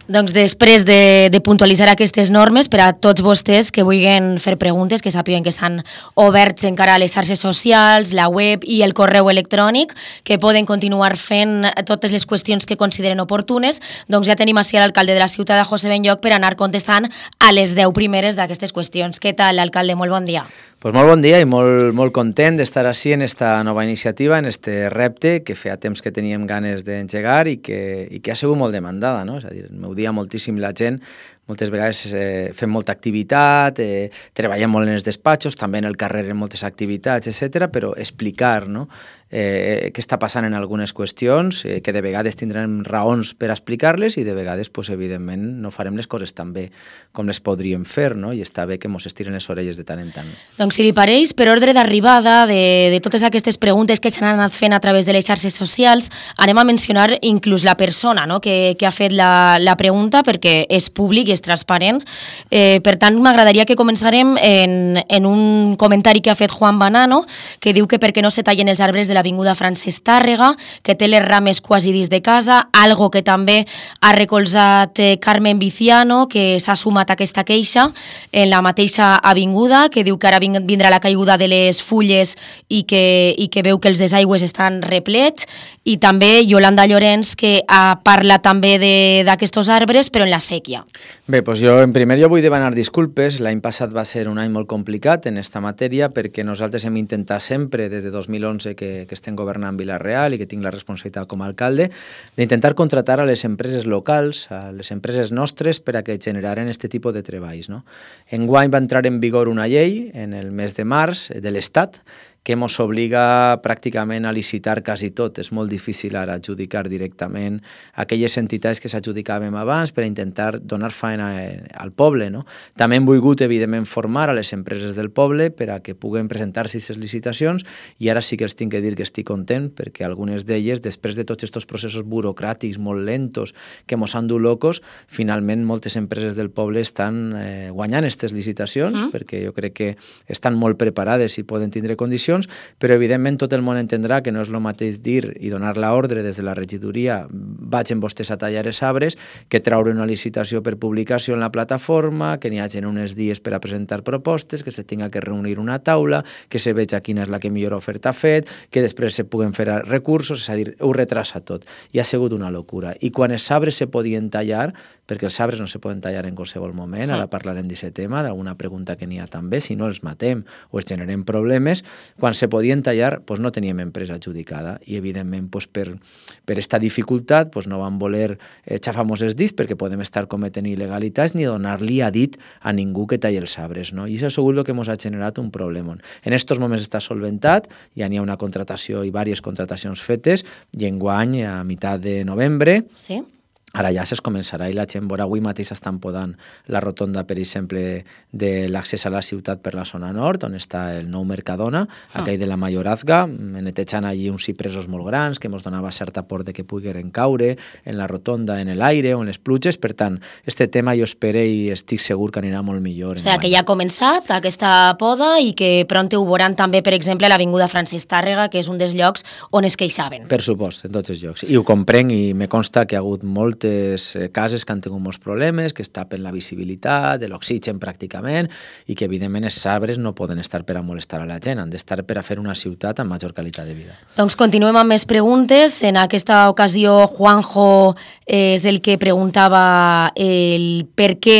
[SPEAKER 1] Doncs després de, de puntualitzar aquestes normes per a tots vostès que vulguin fer preguntes, que sàpiguen que estan oberts encara a les xarxes socials, la web i el correu electrònic, que poden continuar fent totes les qüestions que consideren oportunes, doncs ja tenim així l'alcalde de la ciutat, de José Benlloc, per anar contestant a les deu primeres d'aquestes qüestions. Què tal, alcalde? Molt bon dia.
[SPEAKER 18] Pues molt bon dia i molt, molt content d'estar així en esta nova iniciativa, en este repte que feia temps que teníem ganes d'engegar i que, i que ha sigut molt demandada, no? És a dir, m'ho dia moltíssim la gent, moltes vegades eh, fem molta activitat, eh, treballem molt en els despatxos, també en el carrer en moltes activitats, etcètera, però explicar, no?, eh, què està passant en algunes qüestions, eh, que de vegades tindrem raons per explicar-les i de vegades, pues, evidentment, no farem les coses tan bé com les podríem fer, no?, i està bé que mos estiren les orelles de tant en tant.
[SPEAKER 1] Doncs si li pareix, per ordre d'arribada de, de totes aquestes preguntes que s'han anat fent a través de les xarxes socials, anem a mencionar inclús la persona, no?, que, que ha fet la, la pregunta, perquè és públic i és transparent. Eh, per tant, m'agradaria que començarem en, en un comentari que ha fet Juan Banano, que diu que perquè no se tallen els arbres de l'avinguda Francesc Tàrrega, que té les rames quasi dins de casa, algo que també ha recolzat eh, Carmen Viciano, que s'ha sumat a aquesta queixa en la mateixa avinguda, que diu que ara vindrà la caiguda de les fulles i que, i que veu que els desaigües estan replets, i també Yolanda Llorenç, que ha parlat també d'aquests arbres, però en la sèquia.
[SPEAKER 18] Bé, doncs jo en primer lloc vull demanar disculpes. L'any passat va ser un any molt complicat en esta matèria perquè nosaltres hem intentat sempre, des de dos mil onze que, que estem governant Vila-real i que tinc la responsabilitat com a alcalde, d'intentar contratar a les empreses locals, a les empreses nostres, per a que generaren aquest tipus de treballs, no? Enguany va entrar en vigor una llei en el mes de març de l'Estat que ens obliga pràcticament a licitar quasi tot. És molt difícil ara adjudicar directament aquelles entitats que s'adjudicàvem abans per a intentar donar feina al poble, no? També hem volgut, evidentment, formar a les empreses del poble per a que puguen presentar-se aquestes licitacions, i ara sí que els tinc que dir que estic content perquè algunes d'elles, després de tots aquests processos burocràtics molt lentos que mos han dut locos, finalment moltes empreses del poble estan eh, guanyant aquestes licitacions, mm. perquè jo crec que estan molt preparades i poden tindre condicions, però evidentment tot el món entendrà que no és el mateix dir i donar l'ordre des de la regidoria vagin vostès a tallar els arbres que traure una licitació per publicació en la plataforma, que n'hi hagin uns dies per a presentar propostes, que se tinga que reunir una taula, que se veja quina és la que millor oferta ha fet, que després se puguen fer recursos, és a dir, ho retrasa tot. I ha sigut una locura. I quan els arbres se podien tallar, perquè els arbres no se poden tallar en qualsevol moment, ara parlarem d'aquest tema, d'alguna pregunta que n'hi ha també, si no els matem o els generem problemes, quan se podien tallar doncs no teníem empresa adjudicada i evidentment doncs per, per esta dificultat doncs no vam voler eh, xafar-nos els dits perquè podem estar cometent il·legalitats ni donar-li a dit a ningú que talli els arbres, no? I això ha sigut el que ens ha generat un problema. En aquests moments està solventat, ja n'hi ha una contratació i diverses contratacions fetes i enguany a meitat de novembre sí. ara ja es començarà i la gent veurà. Avui mateix estan podant la rotonda, per exemple, de l'accés a la ciutat per la zona nord, on està el nou Mercadona, ah. aquell de la Mayorazga, netejant allí uns cipresos molt grans que ens donava certa por de que pogueren caure en la rotonda, en l'aire o en les pluges. Per tant, este tema jo espero i estic segur que anirà molt millor.
[SPEAKER 1] O sigui, que ja ha començat aquesta poda i que pront ho veuran també, per exemple, a l'Avinguda Francesc Tàrrega, que és un dels llocs on es queixaven.
[SPEAKER 18] Per supost, en tots els llocs. I ho comprenc i me consta que ha hagut molt moltes cases que han tingut molts problemes, que es tapen la visibilitat, de l'oxigen pràcticament, i que evidentment els arbres no poden estar per a molestar a la gent, han d'estar per a fer una ciutat amb major qualitat de vida.
[SPEAKER 1] Doncs continuem amb més preguntes. En aquesta ocasió Juanjo és el que preguntava el per què,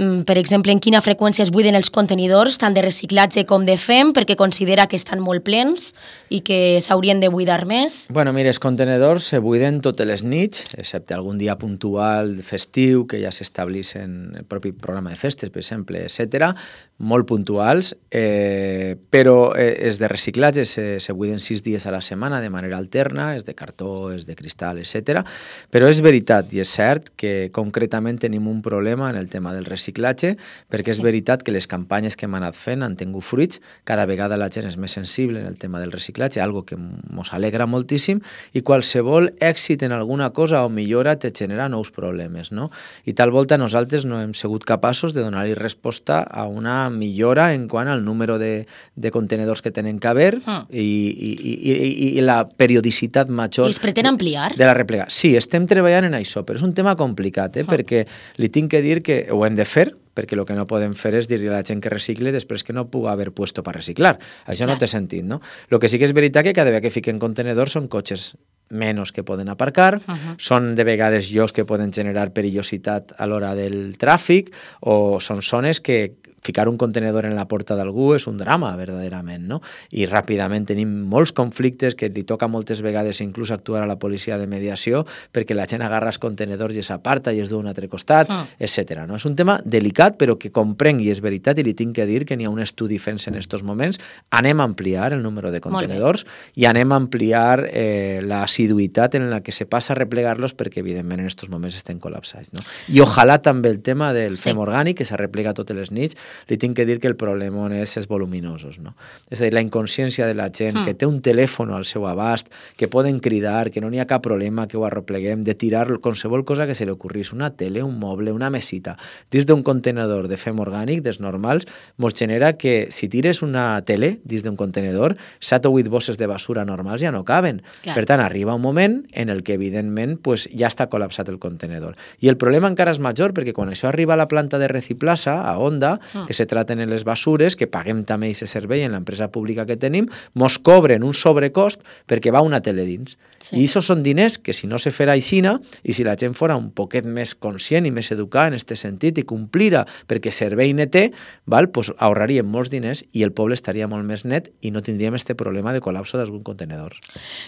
[SPEAKER 1] per exemple, en quina freqüència es buiden els contenidors, tant de reciclatge com de F E M, perquè considera que estan molt plens i que s'haurien de buidar més.
[SPEAKER 18] Bueno, mira, els contenidors se buiden totes les nits, excepte algun dia puntual festiu, que ja s'estableix en el propi programa de festes, per exemple, etcètera, molt puntuals, eh, però eh, els de reciclatge se, se buiden sis dies a la setmana de manera alterna, és de cartó, és de cristal, etcètera. Però és veritat i és cert que concretament tenim un problema en el tema del reciclatge, perquè és sí. veritat que les campanyes que hem anat fent han tingut fruits, cada vegada la gent és més sensible en el tema del reciclatge, algo que ens alegra moltíssim, i qualsevol èxit en alguna cosa o millora te genera nous problemes, no? I tal volta nosaltres no hem sigut capaços de donar-hi resposta a una millora en quant al número de, de contenedors que tenen que haver ah. i, i, i, i la periodicitat major.
[SPEAKER 1] I es pretén ampliar?
[SPEAKER 18] De la replega. Sí, estem treballant en això, però és un tema complicat, eh? ah. perquè li tinc que dir que ho hem de fer, perquè el que no podem fer és dir-li a la gent que recicle després que no puga haver puesto per reciclar. Això Clar. no té sentit, no? El que sí que és veritat que cada vegada que fiquen contenedors són cotxes menys que poden aparcar, uh -huh. són de vegades llocs que poden generar perillositat a l'hora del tràfic, o són zones que ficar un contenedor en la porta d'algú és un drama, verdaderament, no? I ràpidament tenim molts conflictes que li toca moltes vegades inclús actuar a la policia de mediació perquè la gent agarra els contenedors i s'aparta i es du a un altre costat, ah. etcètera. No? És un tema delicat, però que comprenc i és veritat, i li tinc que dir que n'hi ha un estudi fent-se en aquests moments. Anem a ampliar el número de contenedors i anem a ampliar eh, la assiduïtat en la que se passa a replegar-los perquè, evidentment, en aquests moments estem col·lapsats. No? I ojalà també el tema del sí. F E M orgànic, que se replega totes les nits, li tinc que dir que el problema és els voluminosos. No? És a dir, la inconsciència de la gent, mm. que té un telèfon al seu abast, que poden cridar, que no n'hi ha cap problema, que ho arrepleguem, de tirar qualsevol cosa que se li ocorrís, una tele, un moble, una mesita, dins d'un contenedor de F E M orgànic, dels normals, mos genera que si tires una tele dins d'un contenedor, set o vuit bosses de basura normals ja no caben. Clar. Per tant, arriba un moment en el que, evidentment, pues, ja està col·lapsat el contenedor. I el problema encara és major, perquè quan això arriba a la planta de Reciplaza, a Onda, mm. que se traten en les basures, que paguem també aquest servei en l'empresa pública que tenim, mos cobren un sobrecost perquè va una tele dins. Sí. I això són diners que, si no se farà aixina, i si la gent fora un poquet més conscient i més educada en aquest sentit i complira perquè servei ne té, val, pues ahorraríem molts diners i el poble estaria molt més net i no tindríem este problema de col·lapso d'alguns contenedors.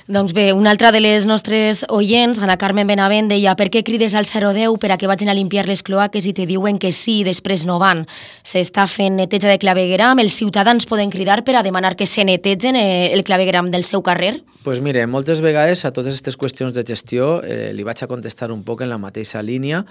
[SPEAKER 1] Doncs bé, una altra de les nostres oients, Ana Carmen Benavent, deia: per què crides al zero deu per a que vagin a limpiar les cloaques i te diuen que sí i després no van? S'està fent neteja de clavegueram, els ciutadans poden cridar per a demanar que se netegen el clavegueram del seu carrer?
[SPEAKER 18] Doncs pues mire, moltes vegades a totes aquestes qüestions de gestió eh, li vaig a contestar un poc en la mateixa línia.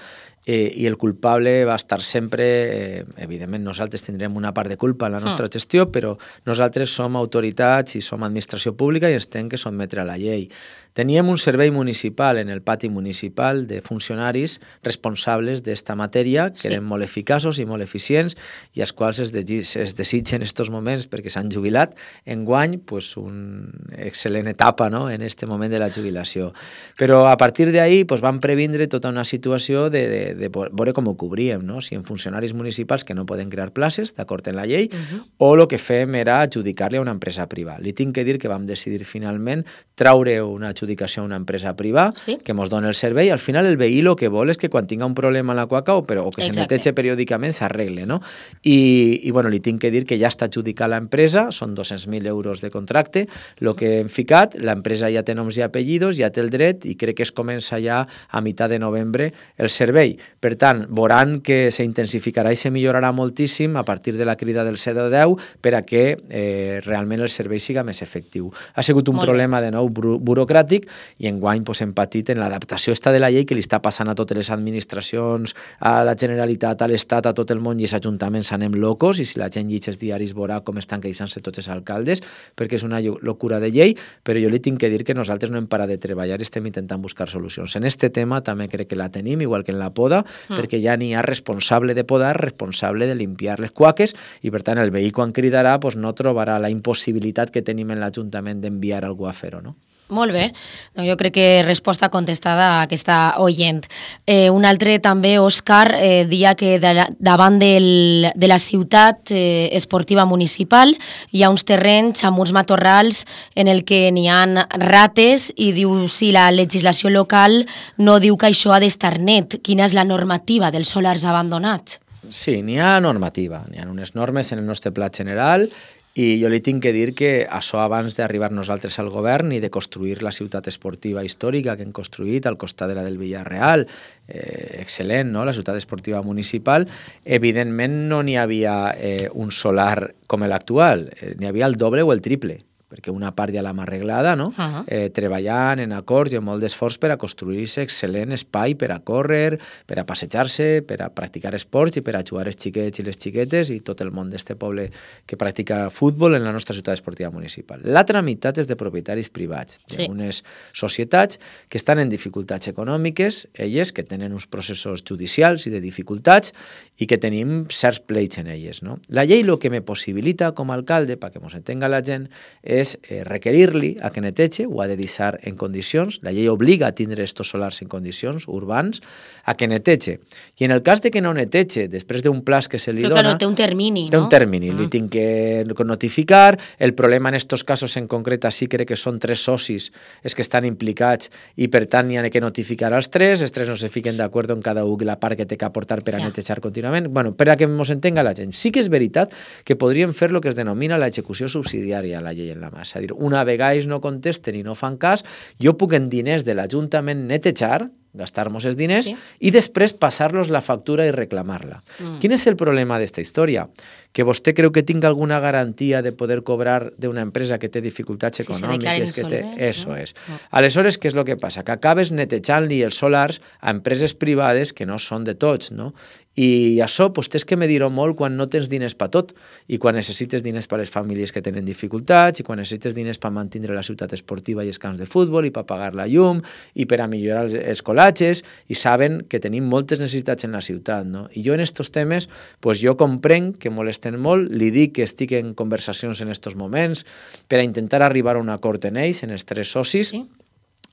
[SPEAKER 18] Eh, i el culpable va estar sempre, eh, evidentment nosaltres tindrem una part de culpa en la nostra mm. gestió, però nosaltres som autoritats i som administració pública i ens hem que sotmetre a la llei. Teníem un servei municipal en el pati municipal de funcionaris responsables d'esta matèria, que sí. eren molt eficaços i molt eficients i als quals es, de, es desitgen en aquests moments perquè s'han jubilat. Enguany, pues, una excel·lent etapa, no?, en aquest moment de la jubilació. Però a partir d'ahí pues, van previndre tota una situació de, de de veure com ho cobríem, no? Si en funcionaris municipals que no poden crear places, d'acord en la llei, uh-huh. o el que fem era adjudicar-li a una empresa privada. Li tinc que dir que vam decidir finalment traure una adjudicació a una empresa privada sí? que ens dona el servei. Al final el veí el que vol és que quan tinga un problema a la quaca o, però, o que Exacte. se netege periòdicament s'arregle, no? I, i bueno, li tinc que dir que ja està adjudicat l'empresa, són dos-cents mil euros de contracte, el que hem ficat, l'empresa ja té noms i apellidos, ja té el dret i crec que es comença ja a mitjà de novembre el servei. Per tant, veuran que s'intensificarà i se millorarà moltíssim a partir de la crida del C D deu per a que eh, realment el servei siga més efectiu. Ha sigut un Molt problema, bé. de nou, buro burocràtic i enguany pues, hem patit en l'adaptació esta de la llei que li està passant a totes les administracions, a la Generalitat, a l'Estat, a tot el món i els ajuntaments anem locos i si la gent llegeix els diaris veurà com estan queixant-se tots els alcaldes perquè és una locura de llei, però jo li tinc que dir que nosaltres no hem parat de treballar i estem intentant buscar solucions. En este tema també crec que la tenim, igual que en la poda, mm. perquè ja n'hi ha responsable de podar, responsable de limpiar les cuaques i per tant el veí quan cridarà pues, no trobarà la impossibilitat que tenim en l'Ajuntament d'enviar algú a fer-ho, no?
[SPEAKER 1] Molt bé, doncs jo crec que resposta contestada a aquesta oient. Eh, un altre també, Òscar, eh, dia que de la, davant del, de la ciutat eh, esportiva municipal hi ha uns terrenys amb uns matorrals en el que n'hi ha rates i diu si la legislació local no diu que això ha d'estar net. Quina és la normativa dels solars abandonats?
[SPEAKER 18] Sí, n'hi ha normativa, n'hi ha unes normes en el nostre pla general i jo li tinc que dir que això abans d'arribar nosaltres al govern i de construir la ciutat esportiva històrica que hem construït al costat de la del Villarreal, eh, excel·lent, no? La ciutat esportiva municipal, evidentment no n'hi havia eh, un solar com l'actual, eh, n'hi havia el doble o el triple, perquè una part ja l'hem arreglada, no? Uh-huh. eh, treballant en acords i amb molt d'esforç per a construir-se excel·lent espai per a córrer, per a passejar-se, per a practicar esports i per a jugar els xiquets i les xiquetes i tot el món d'este poble que practica futbol en la nostra ciutat esportiva municipal. L'altra meitat és de propietaris privats, sí. d'unes societats que estan en dificultats econòmiques, elles que tenen uns processos judicials i de dificultats i que tenim certs pleits en elles, no? La llei el que me possibilita com a alcalde, perquè mos entenga la gent, és és eh, requerir-li a que neteja, ho ha de deixar en condicions, la llei obliga a tindre estos solars en condicions urbans, a que neteja. I en el cas de que no neteja, després d'un plaç que se li
[SPEAKER 1] Però,
[SPEAKER 18] dona...
[SPEAKER 1] Però té un termini,
[SPEAKER 18] té
[SPEAKER 1] no?
[SPEAKER 18] un termini, ah. li tinc que notificar, el problema en estos casos en concret, sí crec que són tres socis els que estan implicats i per tant hi ha que notificar als tres, els tres no se fiquen d'acord en cada un la part que té que aportar per a ja. netejar contínuament. Bueno, per a que ens entenga la gent. Sí que és veritat que podríem fer el que es denomina l'execució subsidiària a la llei en la mà. És a dir, una vegada ells no contesten i no fan cas, jo puc en diners de l'Ajuntament netejar, gastar-nos els diners, sí. i després passar-los la factura i reclamar-la. Mm. Quin és el problema d'esta història? Que vostè creu que tinga alguna garantia de poder cobrar d'una empresa que té dificultats econòmiques, sí, que té... Eso és. No. Aleshores, què és el que passa? Que acabes netejant-li els solars a empreses privades que no són de tots, no? I això pues, tens que medir-ho molt quan no tens diners per tot i quan necessites diners per a les famílies que tenen dificultats i quan necessites diners per mantenir la ciutat esportiva i els camps de futbol i per pagar la llum i per a millorar els colatges i saben que tenim moltes necessitats en la ciutat, no? I jo en estos temes pues, jo comprenc que molesten molt, li dic que estic en conversacions en estos moments per a intentar arribar a un acord en ells, en els tres socis, sí.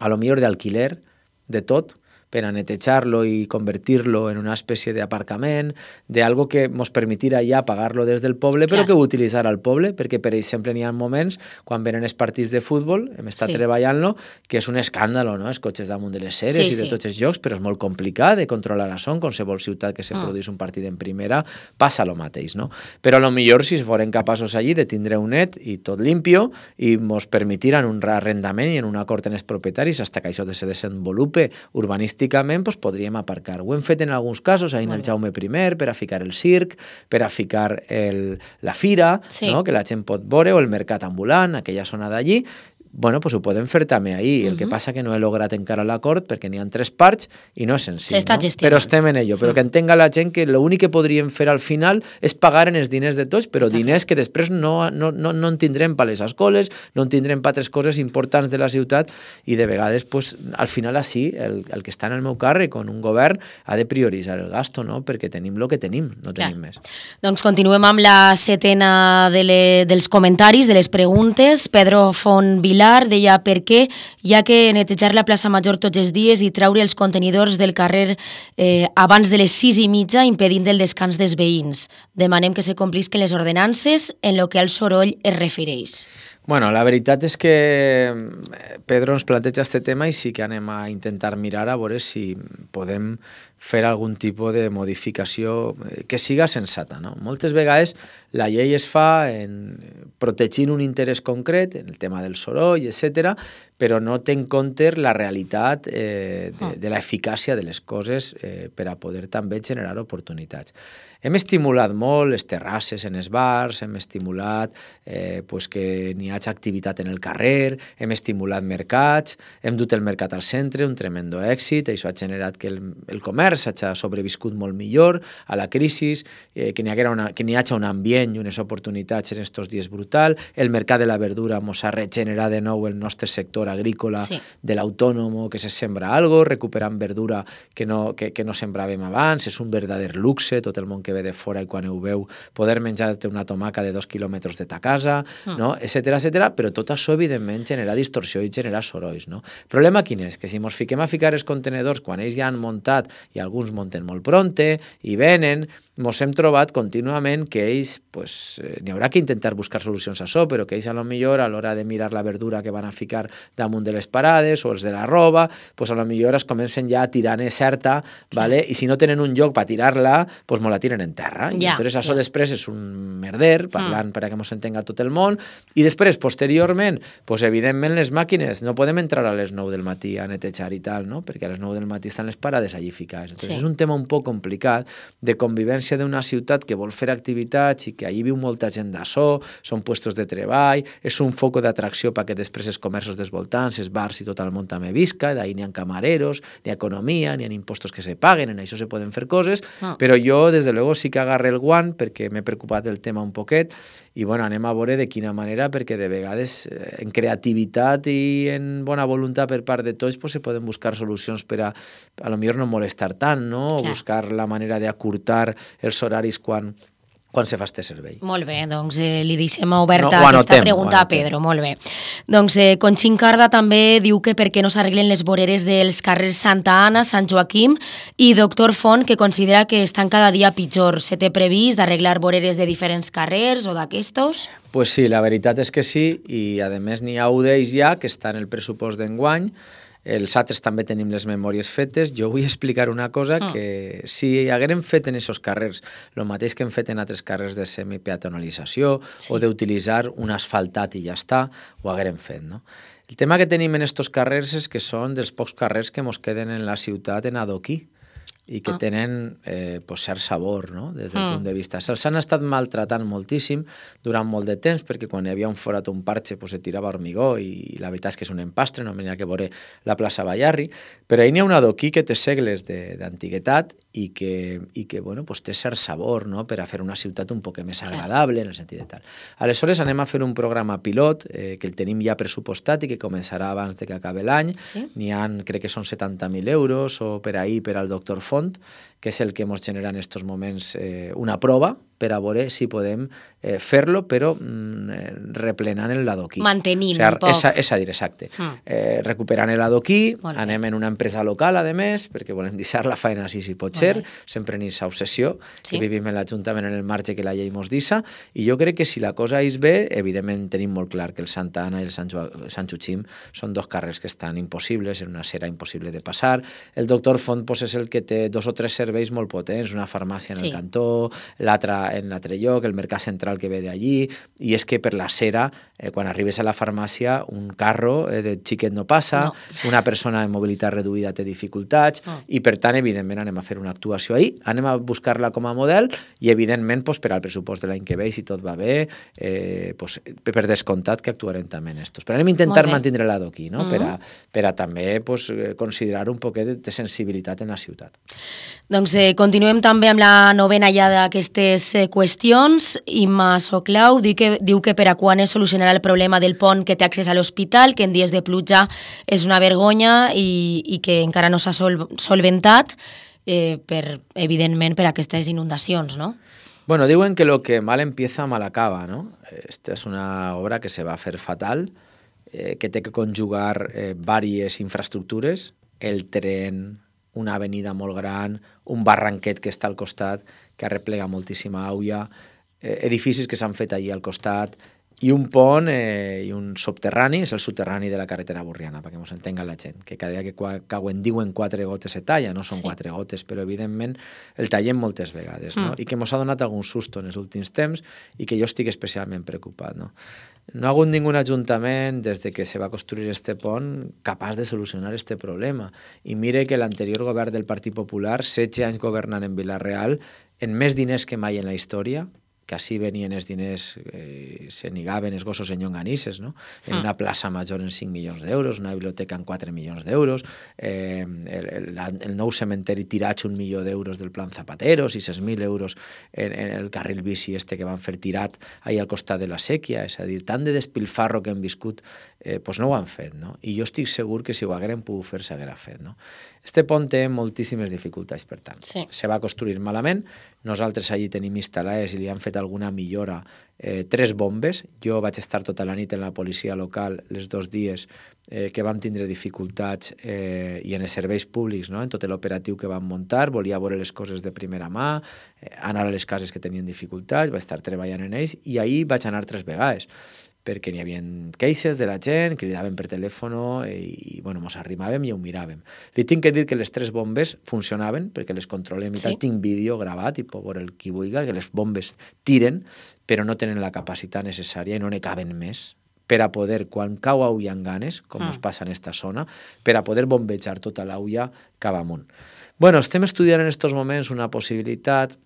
[SPEAKER 18] a lo millor d'alquiler, de tot, per a netejar-lo i convertir-lo en una espècie d'aparcament, d'algo que ens permetirà ja pagar-lo des del poble, però Clar. que ho utilitzarà el poble, perquè, per exemple, n'hi ha moments, quan venen els partits de futbol, hem estat sí. treballant-lo, que és un escàndol, no?, els cotxes damunt de les ceres sí, i de sí. tots els llocs, però és molt complicat de controlar això, en qualsevol ciutat que se mm. produís un partit en primera, passa el mateix, no? Però a lo millor, si foren capaços allí de tindre un net i tot limpio, i ens permetiran un arrendament i en un acord en els propietaris, fins que això se desenvolupe urbanístic pues, podríem aparcar. Ho hem fet en alguns casos, ahir en el Jaume primer, per a ficar el circ, per a ficar el, la fira, sí. no? que la gent pot veure, o el mercat ambulant, aquella zona d'allí. Bueno, pues ho podem fer també ahir. El uh-huh. que passa que no he lograt encara l'acord perquè n'hi ha tres parts i no és senzill.
[SPEAKER 1] S'està
[SPEAKER 18] no?
[SPEAKER 1] gestionant.
[SPEAKER 18] Però estem en ello. Però que entenga la gent que l'únic que podríem fer al final és pagar en els diners de tots, però Està diners clar. que després no, no, no, no en tindrem per les escoles, no en tindrem per altres coses importants de la ciutat i de vegades, pues, al final així, el, el que està en el meu càrrec, on un govern ha de prioritzar el gasto, no? Perquè tenim el que tenim, no clar. tenim més.
[SPEAKER 1] Doncs continuem amb la setena de le, dels comentaris, de les preguntes. Pedro Font Vilar deia per què hi ha que netejar la plaça Major tots els dies i treure els contenidors del carrer eh, abans de les sis i mitja impedint el descans dels veïns. Demanem que se complisquen les ordenances en lo que al soroll es refereix.
[SPEAKER 18] Bueno, la veritat és que Pedro ens planteja este tema i sí que anem a intentar mirar a veure si podem fer algun tipus de modificació que siga sensata, no? Moltes vegades la llei es fa en, protegint un interès concret, en el tema del soroll, etcètera, però no té en compte la realitat eh, de, de l'eficàcia de les coses eh, per a poder també generar oportunitats. Hem estimulat molt les terrasses en els bars, hem estimulat eh, pues que n'hi hagi activitat en el carrer, hem estimulat mercats, hem dut el mercat al centre, un tremendo èxit, això ha generat que el, el comerç hagi sobreviscut molt millor a la crisi, eh, que n'hi hagi un ambient i unes oportunitats en aquests dies brutal, el mercat de la verdura mos ha regenerat de nou el nostre sector agrícola sí. de l'autònomo, que se sembra algo, recuperant verdura que no, que, que no sembràvem abans, és un verdader luxe, tot el món que ve de fora i quan ho veu poder menjar-te una tomaca de dos quilòmetres de ta casa, mm. no? etcètera, etcètera, però tot això, evidentment, genera distorsió i genera sorolls. No? El problema quin és? Que si ens fiquem a ficar els contenedors quan ells ja han muntat, i alguns munten molt pronte, i venen, ens hem trobat contínuament que ells, pues, eh, n'hi haurà que intentar buscar solucions a això, però que ells a lo millor a l'hora de mirar la verdura que van a ficar damunt de les parades o els de la roba, pues a lo millor es comencen ja a tirar en certa, ¿vale? I si no tenen un lloc per tirar-la, pues me la tiren en terra. I ja, entonces això ja. després és un merder, parlant mm. per a que ens entenga tot el món, i després, posteriorment, pues evidentment les màquines no podem entrar a les nou del matí a netejar i tal, no? Perquè a les nou del matí estan les parades allí ficades. Entonces sí. és un tema un poc complicat de convivència d'una ciutat que vol fer activitats i que allí viu molta gent d'açò, són puestos de treball, és un foc d'atracció perquè després els comerços dels voltants, els bars i tot el món també visca, d'ahir n'hi ha camareros, n'hi ha economia, n'hi ha impostos que se paguen, en això se poden fer coses, ah. però jo, des de luego, sí que agarre el guant perquè m'he preocupat del tema un poquet i, bueno, anem a veure de quina manera, perquè de vegades en creativitat i en bona voluntat per part de tots pues, se poden buscar solucions per a, a lo millor no molestar tant, no? O buscar la manera d'acurtar els horaris quan, quan se fa este servei.
[SPEAKER 1] Molt bé, doncs eh, li deixem oberta
[SPEAKER 18] no,
[SPEAKER 1] aquesta
[SPEAKER 18] anotem,
[SPEAKER 1] pregunta a Pedro, molt bé. Doncs eh, Conxin Carda també diu que per què no s'arreglen les voreres dels carrers Santa Anna, Sant Joaquim, i Doctor Font, que considera que estan cada dia pitjor. Se té previst d'arreglar voreres de diferents carrers o d'aquestos?
[SPEAKER 18] Pues sí, la veritat és que sí, i a més n'hi ha un d'ells ja que està en el pressupost d'enguany. Els altres també tenim les memòries fetes. Jo vull explicar una cosa, mm. que si haguérem fet en aquests carrers el mateix que hem fet en altres carrers de semipeatonalització sí. o d'utilitzar un asfaltat i ja està, ho haguérem fet, no? El tema que tenim en aquests carrers és que són dels pocs carrers que ens queden en la ciutat en adoquí i que ah. tenen eh, pues, cert sabor, no? Des del mm. punt de vista. Se'ls han estat maltratant moltíssim durant molt de temps, perquè quan hi havia un forat o un parxe pues, se tirava hormigó i la veritat és que és un empastre, no n'hi ha que veure la plaça Ballarri, però ahir n'hi ha un adoquí que té segles d'antiguitat i que, i que bueno, pues, té cert sabor, no? Per a fer una ciutat un poc més agradable en el sentit de tal. Aleshores anem a fer un programa pilot eh, que el tenim ja pressupostat i que començarà abans de que acabi l'any. Sí? N'hi ha, crec que són setanta mil euros o per ahir per al doctor Font, que és el que ens genera en aquests moments eh, una prova per a veure si podem eh, fer-lo, però mm, replenant l'adoquí.
[SPEAKER 1] Mantenint
[SPEAKER 18] o sigui,
[SPEAKER 1] un poc.
[SPEAKER 18] És a, és a dir, exacte. Mm. Eh, recuperant l'adoquí, anem en una empresa local, a més, perquè volem deixar la feina així si pot ser, sempre en aquesta obsessió, sí. que vivim en l'Ajuntament en el marge que la llei mos deixa, i jo crec que si la cosa és bé, evidentment tenim molt clar que el Santa Anna i el Sant, jo Sant Joaquim són dos carrers que estan impossibles, en una acera impossible de passar. El doctor Font pues, és el que té dos o tres serveis molt potents, una farmàcia en sí. el cantó, l'altra en l'altre lloc, el mercat central que ve d'allí, i és que per la cera, eh, quan arribes a la farmàcia, un carro eh, de xiquet no passa, no. una persona de mobilitat reduïda té dificultats, no. i per tant, evidentment, anem a fer una actuació ahí, anem a buscar-la com a model, i evidentment, pues, per al pressupost de l'any que ve, si tot va bé, eh, pues, per descomptat que actuarem també en estos. Però anem a intentar mantenir l'adoquí, no? Mm-hmm. per, a, per a també pues, considerar un poquet de sensibilitat en la ciutat.
[SPEAKER 1] Doncs eh, continuem també amb la novena ja d'aquestes eh, qüestions. Imma Soclau diu que, diu que per a quan es solucionarà el problema del pont que té accés a l'hospital, que en dies de pluja és una vergonya i, i que encara no s'ha sol, solventat, eh, per, evidentment per aquestes inundacions, no?
[SPEAKER 18] Bueno, diuen que lo que mal empieza mal acaba, ¿no? Esta es una obra que se va a hacer fatal, eh, que té que conjugar eh, diverses infraestructures, el tren, una avenida molt gran, un barranquet que està al costat, que arreplega moltíssima aigua, eh, edificis que s'han fet allí al costat, i un pont eh, i un subterrani, és el subterrani de la carretera Borriana, perquè ens entenga la gent, que cada dia que cauen diuen quatre gotes se talla, no són sí. quatre gotes, però evidentment el tallem moltes vegades, no? Mm. I que ens ha donat algun susto en els últims temps i que jo estic especialment preocupat, no? No ha hagut ningú ajuntament des de que se va construir este pont capaç de solucionar este problema. I mire que l'anterior govern del Partit Popular, setze anys governant en Vila-real, en més diners que mai en la història, que així venien els diners, eh, se negaven els gossos en llonganisses, no? En una plaça major en cinc milions d'euros, una biblioteca en quatre milions d'euros, eh, el, el, el nou cementeri tirat un milió d'euros del Plan Zapatero, sis mil euros en, en el carril bici este que van fer tirat ahí al costat de la sèquia, és a dir, tant de despilfarro que hem viscut, eh, pues no ho han fet, no? I jo estic segur que si ho hagueren pogut fer, s'haguera fet, no? Este pont té moltíssimes dificultats, per tant. Sí. Se va construir malament, nosaltres allí tenim instal·lades i li han fet alguna millora, eh, tres bombes. Jo vaig estar tota la nit en la policia local els dos dies eh, que vam tindre dificultats eh, i en els serveis públics, no? En tot l'operatiu que vam muntar, volia veure les coses de primera mà, eh, anar a les cases que tenien dificultats, vaig estar treballant en ells i ahir vaig anar tres vegades, perquè n'hi havia queixes de la gent, cridaven per telèfon i, i bueno, mos arrimàvem i ho miràvem. Li tinc que dir que les tres bombes funcionaven, perquè les controlem i sí. tal, tinc vídeo gravat i pot veure el qui vulgui, que les bombes tiren, però no tenen la capacitat necessària i no ne caben més per a poder, quan cau aulla en ganes, com ah. us passa en esta zona, per a poder bombejar tota l'aulla cap amunt. Bueno, estem estudiant en aquests moments una possibilitat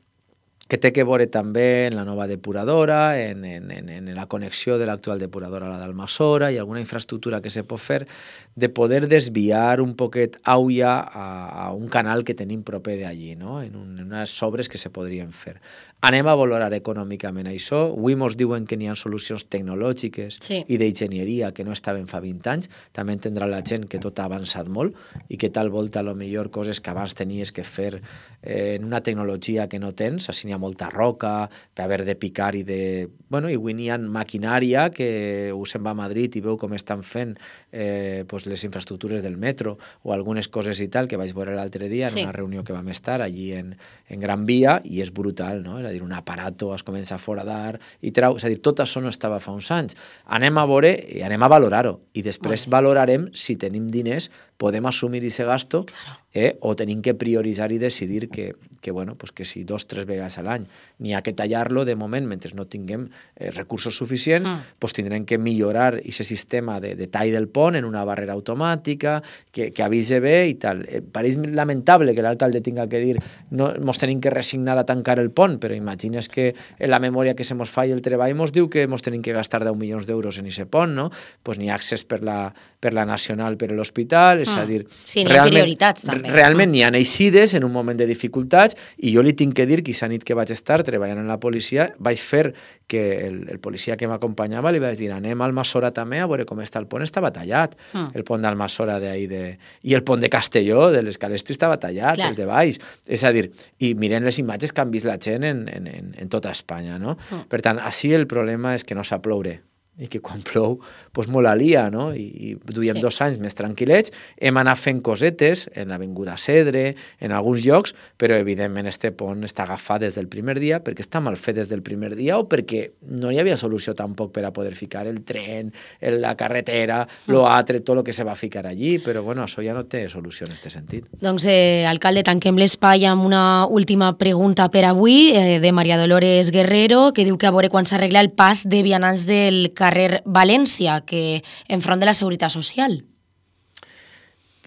[SPEAKER 18] que té que veure també en la nova depuradora, en, en, en la connexió de l'actual depuradora a la d'Almassora i alguna infraestructura que se pot fer de poder desviar un poquet aulla a, a un canal que tenim proper d'allí, no? en, un, en unes obres que se podrien fer. Anem a valorar econòmicament això. Avui mos diuen que n'hi ha solucions tecnològiques sí. i d'enginyeria que no estaven fa vint anys. També entendrà la gent que tot ha avançat molt i que tal volta, a lo millor, coses que abans tenies que fer eh, en una tecnologia que no tens, així n'hi ha molta roca, per haver de picar i de... Bueno, i avui n'hi ha maquinària que us se'n va a Madrid i veu com estan fent eh, pues les infraestructures del metro o algunes coses i tal, que vaig veure l'altre dia en sí. una reunió que vam estar allí en, en Gran Via, i és brutal, no? És a dir, un aparato es comença a foradar i trau... És a dir, tot això no estava fa uns anys. Anem a veure i anem a valorar-ho, i després okay. valorarem si tenim diners, podem assumir aquest gasto claro. eh, o tenim que prioritzar i decidir que, que, bueno, pues que si dos, tres vegades a l'any n'hi ha que tallar-lo, de moment, mentre no tinguem eh, recursos suficients, mm. pues tindrem que millorar aquest sistema de, de tall del pont en una barrera automàtica, que, que avise bé i tal. Eh, pareix lamentable que l'alcalde tinga que dir no mos tenim que resignar a tancar el pont, però imagines que en la memòria que se mos fa i el treball mos diu que mos tenim que gastar deu milions d'euros en aquest pont, no? Pues n'hi ha accés per la, per la nacional per l'hospital, és a dir...
[SPEAKER 1] Sí, n'hi ha prioritats, també.
[SPEAKER 18] Realment n'hi ha eixides en un moment de dificultats, i jo li tinc que dir que aquesta nit que vaig estar treballant en la policia, vaig fer que el, el policia que m'acompanyava li vaig dir, anem a Almassora també a veure com està el pont, estava tallat, mm. el pont d'Almassora d'ahir de... i el pont de Castelló, de l'Escalestri, estava tallat, Clar. el de Baix, és a dir, i miren les imatges que han vist la gent en, en, en, en tota Espanya, no? Mm. Per tant, així el problema és que no sap ploure, i que quan plou, doncs molt alia, no? I, i duiem sí. dos anys més tranquil·lets, hem anat fent cosetes en l'Avinguda Cedre, en alguns llocs, però evidentment este pont està agafat des del primer dia, perquè està mal fet des del primer dia o perquè no hi havia solució tampoc per a poder ficar el tren, la carretera, l'altre, tot el que se va ficar allí, però bueno, això ja no té solució en aquest sentit.
[SPEAKER 1] Doncs, eh, alcalde, tanquem l'espai amb una última pregunta per avui, eh, de Maria Dolores Guerrero, que diu que a veure quan s'arregla el pas de vianants del carrer València, que enfront de la Seguretat Social.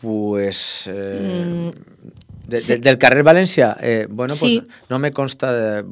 [SPEAKER 18] Pues... Eh, mm, de, sí. de, del carrer València, eh, bueno, sí. pues no me consta... De,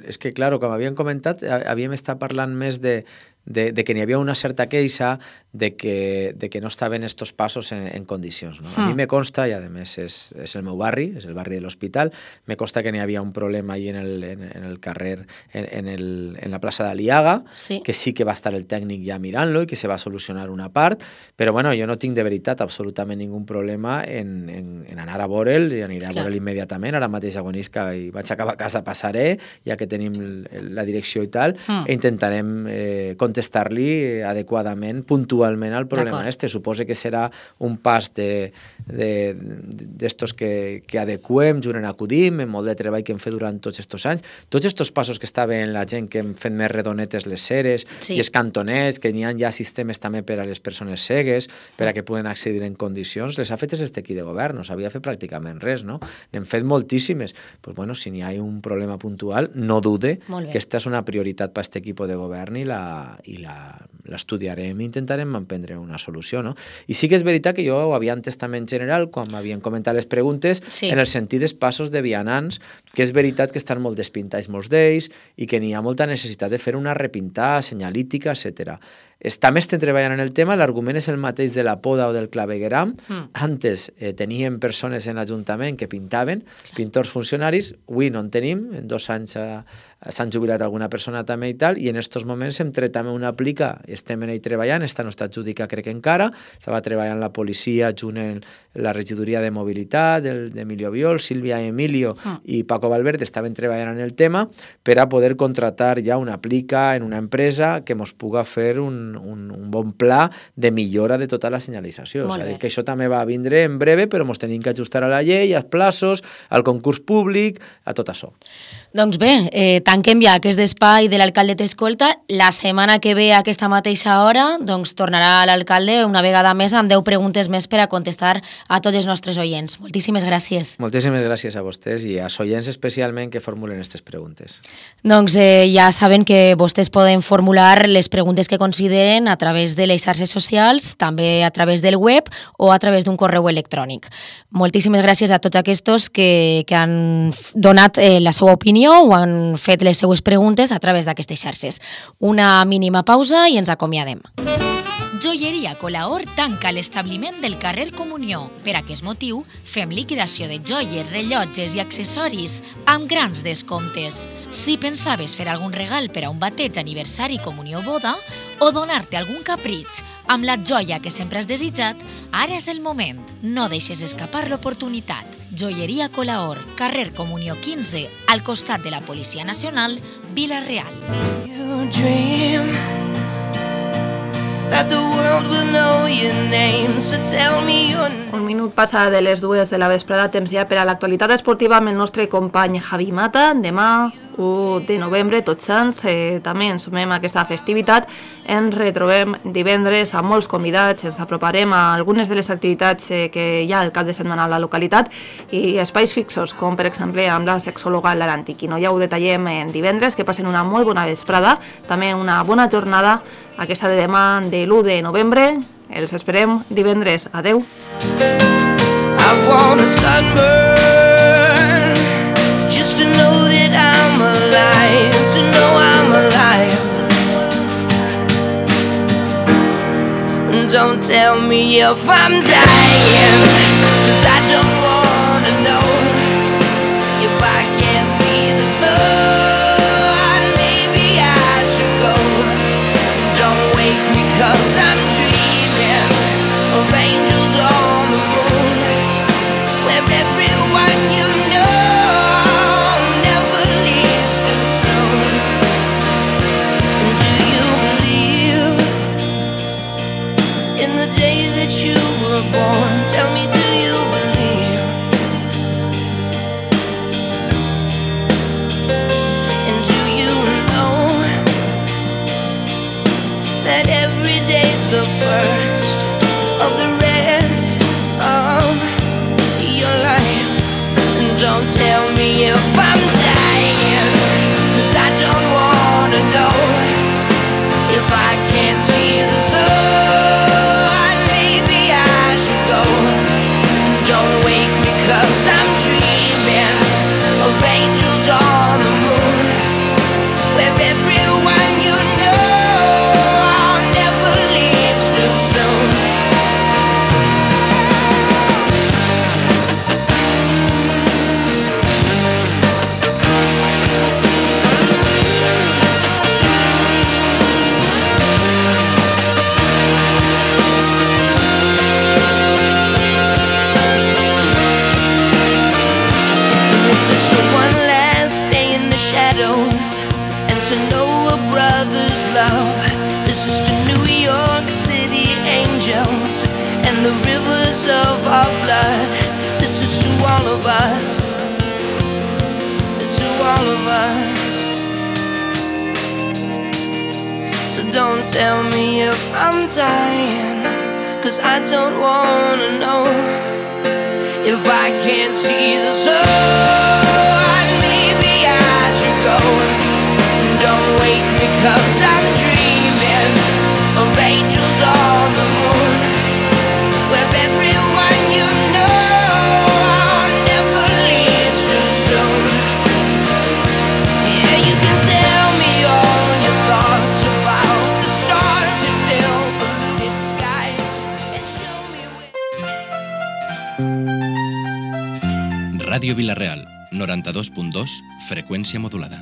[SPEAKER 18] és que, claro, com havíem comentat, havíem estat parlant més de, de, de que n'hi havia una certa queixa de que, de que no estaven estos passos en, en condicions. ¿no? Mm. A mi me consta, i a més és, és el meu barri, és el barri de l'Hospital, me consta que n'hi havia un problema ahí en el, en, en el carrer, en, en, el, en la plaça d'Aliaga, sí. que sí que va estar el tècnic ja mirant-lo i que se va solucionar una part, però bueno, jo no tinc de veritat absolutament ningú problema en, en, en anar a veure'l, i aniré a veure'l immediatament, ara mateix agonisca i vaig a cap a casa, passaré, ja que tenim la direcció i tal, mm. e intentarem eh, contestar-li adequadament, puntualment, puntualment al problema este. Suposo que serà un pas de, de, d'estos que, que adequem, junt en acudim, en molt de treball que hem fet durant tots aquests anys. Tots aquests passos que estaven la gent que hem fet més redonetes les ceres sí. i els cantoners, que n'hi ha ja sistemes també per a les persones cegues, per a que puguen accedir en condicions, les ha fetes este equip de govern, no s'havia fet pràcticament res, no? N'hem fet moltíssimes. Pues bueno, si n'hi ha un problema puntual, no dude que aquesta és una prioritat per a aquest equip de govern i la, i la, l'estudiarem i intentarem emprendre una solució, no? I sí que és veritat que jo ho havia entès també en general, quan m'havien comentat les preguntes, sí. en el sentit dels passos de vianants, que és veritat que estan molt despintats molts d'ells i que n'hi ha molta necessitat de fer una repintada, senyalítica, etcètera. També estem treballant en el tema, l'argument és el mateix de la poda o del clavegueram. Mm. Antes eh, teníem persones en l'Ajuntament que pintaven, Clar. pintors funcionaris, avui no en tenim, en dos anys eh, s'han jubilat alguna persona també i tal, i en aquests moments hem tret també una plica, estem en ell treballant, esta no està adjudica crec encara, estava treballant la policia junt en la regidoria de mobilitat d'Emilio Viol, Sílvia i Emilio mm. i Paco Valverde estaven treballant en el tema per a poder contratar ja una plica en una empresa que mos puga fer un Un, un bon pla de millora de tota la senyalització. És a dir, que això també va vindre en breve, però ens tenim que ajustar a la llei, als plaços, al concurs públic, a tot això.
[SPEAKER 1] Doncs bé, eh, tanquem ja aquest espai de l'alcalde t'escolta. La setmana que ve a aquesta mateixa hora doncs tornarà l'alcalde una vegada més amb deu preguntes més per a contestar a tots els nostres oients. Moltíssimes gràcies.
[SPEAKER 18] Moltíssimes gràcies a vostès i als oients especialment que formulen aquestes preguntes.
[SPEAKER 1] Doncs eh, ja saben que vostès poden formular les preguntes que consideren a través de les xarxes socials, també a través del web o a través d'un correu electrònic. Moltíssimes gràcies a tots aquests que, que han donat eh, la seva opinió o han fet les seues preguntes a través d'aquestes xarxes. Una mínima pausa i ens acomiadem.
[SPEAKER 5] Joieria Colaor tanca l'establiment del carrer Comunió. Per aquest motiu, fem liquidació de joies, rellotges i accessoris amb grans descomptes. Si pensaves fer algun regal per a un bateig, aniversari, comunió o boda, o donar-te algun capritx amb la joia que sempre has desitjat, ara és el moment. No deixes escapar l'oportunitat. Joieria Colaor, carrer Comunió quinze, al costat de la Policia Nacional, Vila-real. You dream
[SPEAKER 14] that the world will know your name, so tell me your name. Un minut passa de les dues de la vesprada, temps ja per a l'actualitat esportiva amb el nostre company Javi Mata. Demà, u de novembre, tots sants, eh, també ens sumem a aquesta festivitat. Ens retrobem divendres amb molts convidats, ens aproparem a algunes de les activitats eh, que hi ha al cap de setmana a la localitat i espais fixos, com per exemple amb la sexòloga Lara Antiquino. Ja ho detallem en divendres, que passen una molt bona vesprada, també una bona jornada, aquesta de demà de l'u de novembre. Els esperem divendres. Adeu. I want a sunburn, just to know that I'm alive, to know I'm alive. Don't tell me if I'm dying, 'cause I don't wanna know. If I can't see the sun, maybe I should go. Don't wake me 'cause I'm dreaming of angels on the moon, where everyone you know never leaves too soon. Do you believe in the day that you were born? Tell me, do you believe? And do you know that every day's the first of the rest of your life? And don't tell me if I'm dying, 'cause I don't wanna know. If I can't see the sun, maybe I should go. Don't wake me 'cause I'm dreaming of angels on the moon, where everyone you know never leaves too soon. This is the one last day in the shadows, and to know a brother's love. This is to New York City
[SPEAKER 19] angels and the rivers of our blood. This is to all of us, to all of us. So don't tell me if I'm dying, 'cause I don't wanna know. If I can't see the sun, maybe I should go. Don't wake me 'cause I'm dreaming of angels on the moon, with everyone you know never leaves too soon. Yeah, you can tell me all your thoughts about the stars that fill polluted skies and show me where...
[SPEAKER 20] Ràdio Vila-real, noranta-dos punt dos, freqüència modulada.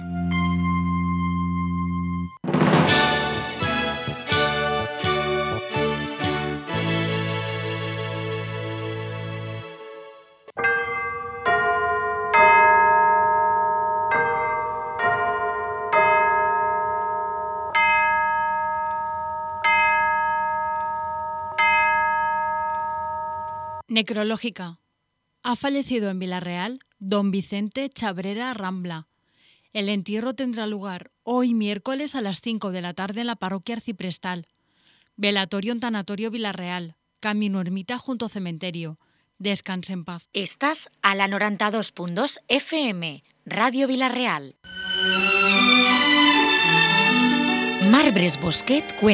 [SPEAKER 6] Necrológica. Ha fallecido en Villarreal don Vicente Chabrera Rambla. El entierro tendrá lugar hoy miércoles a las cinco de la tarde en la parroquia arciprestal. Velatorio en Tanatorio Villarreal, camino ermita junto cementerio. Descanse en paz.
[SPEAKER 5] Estás a la noranta-dos punt dos F M, Ràdio Vila-real. Marbres Bosquet cuenta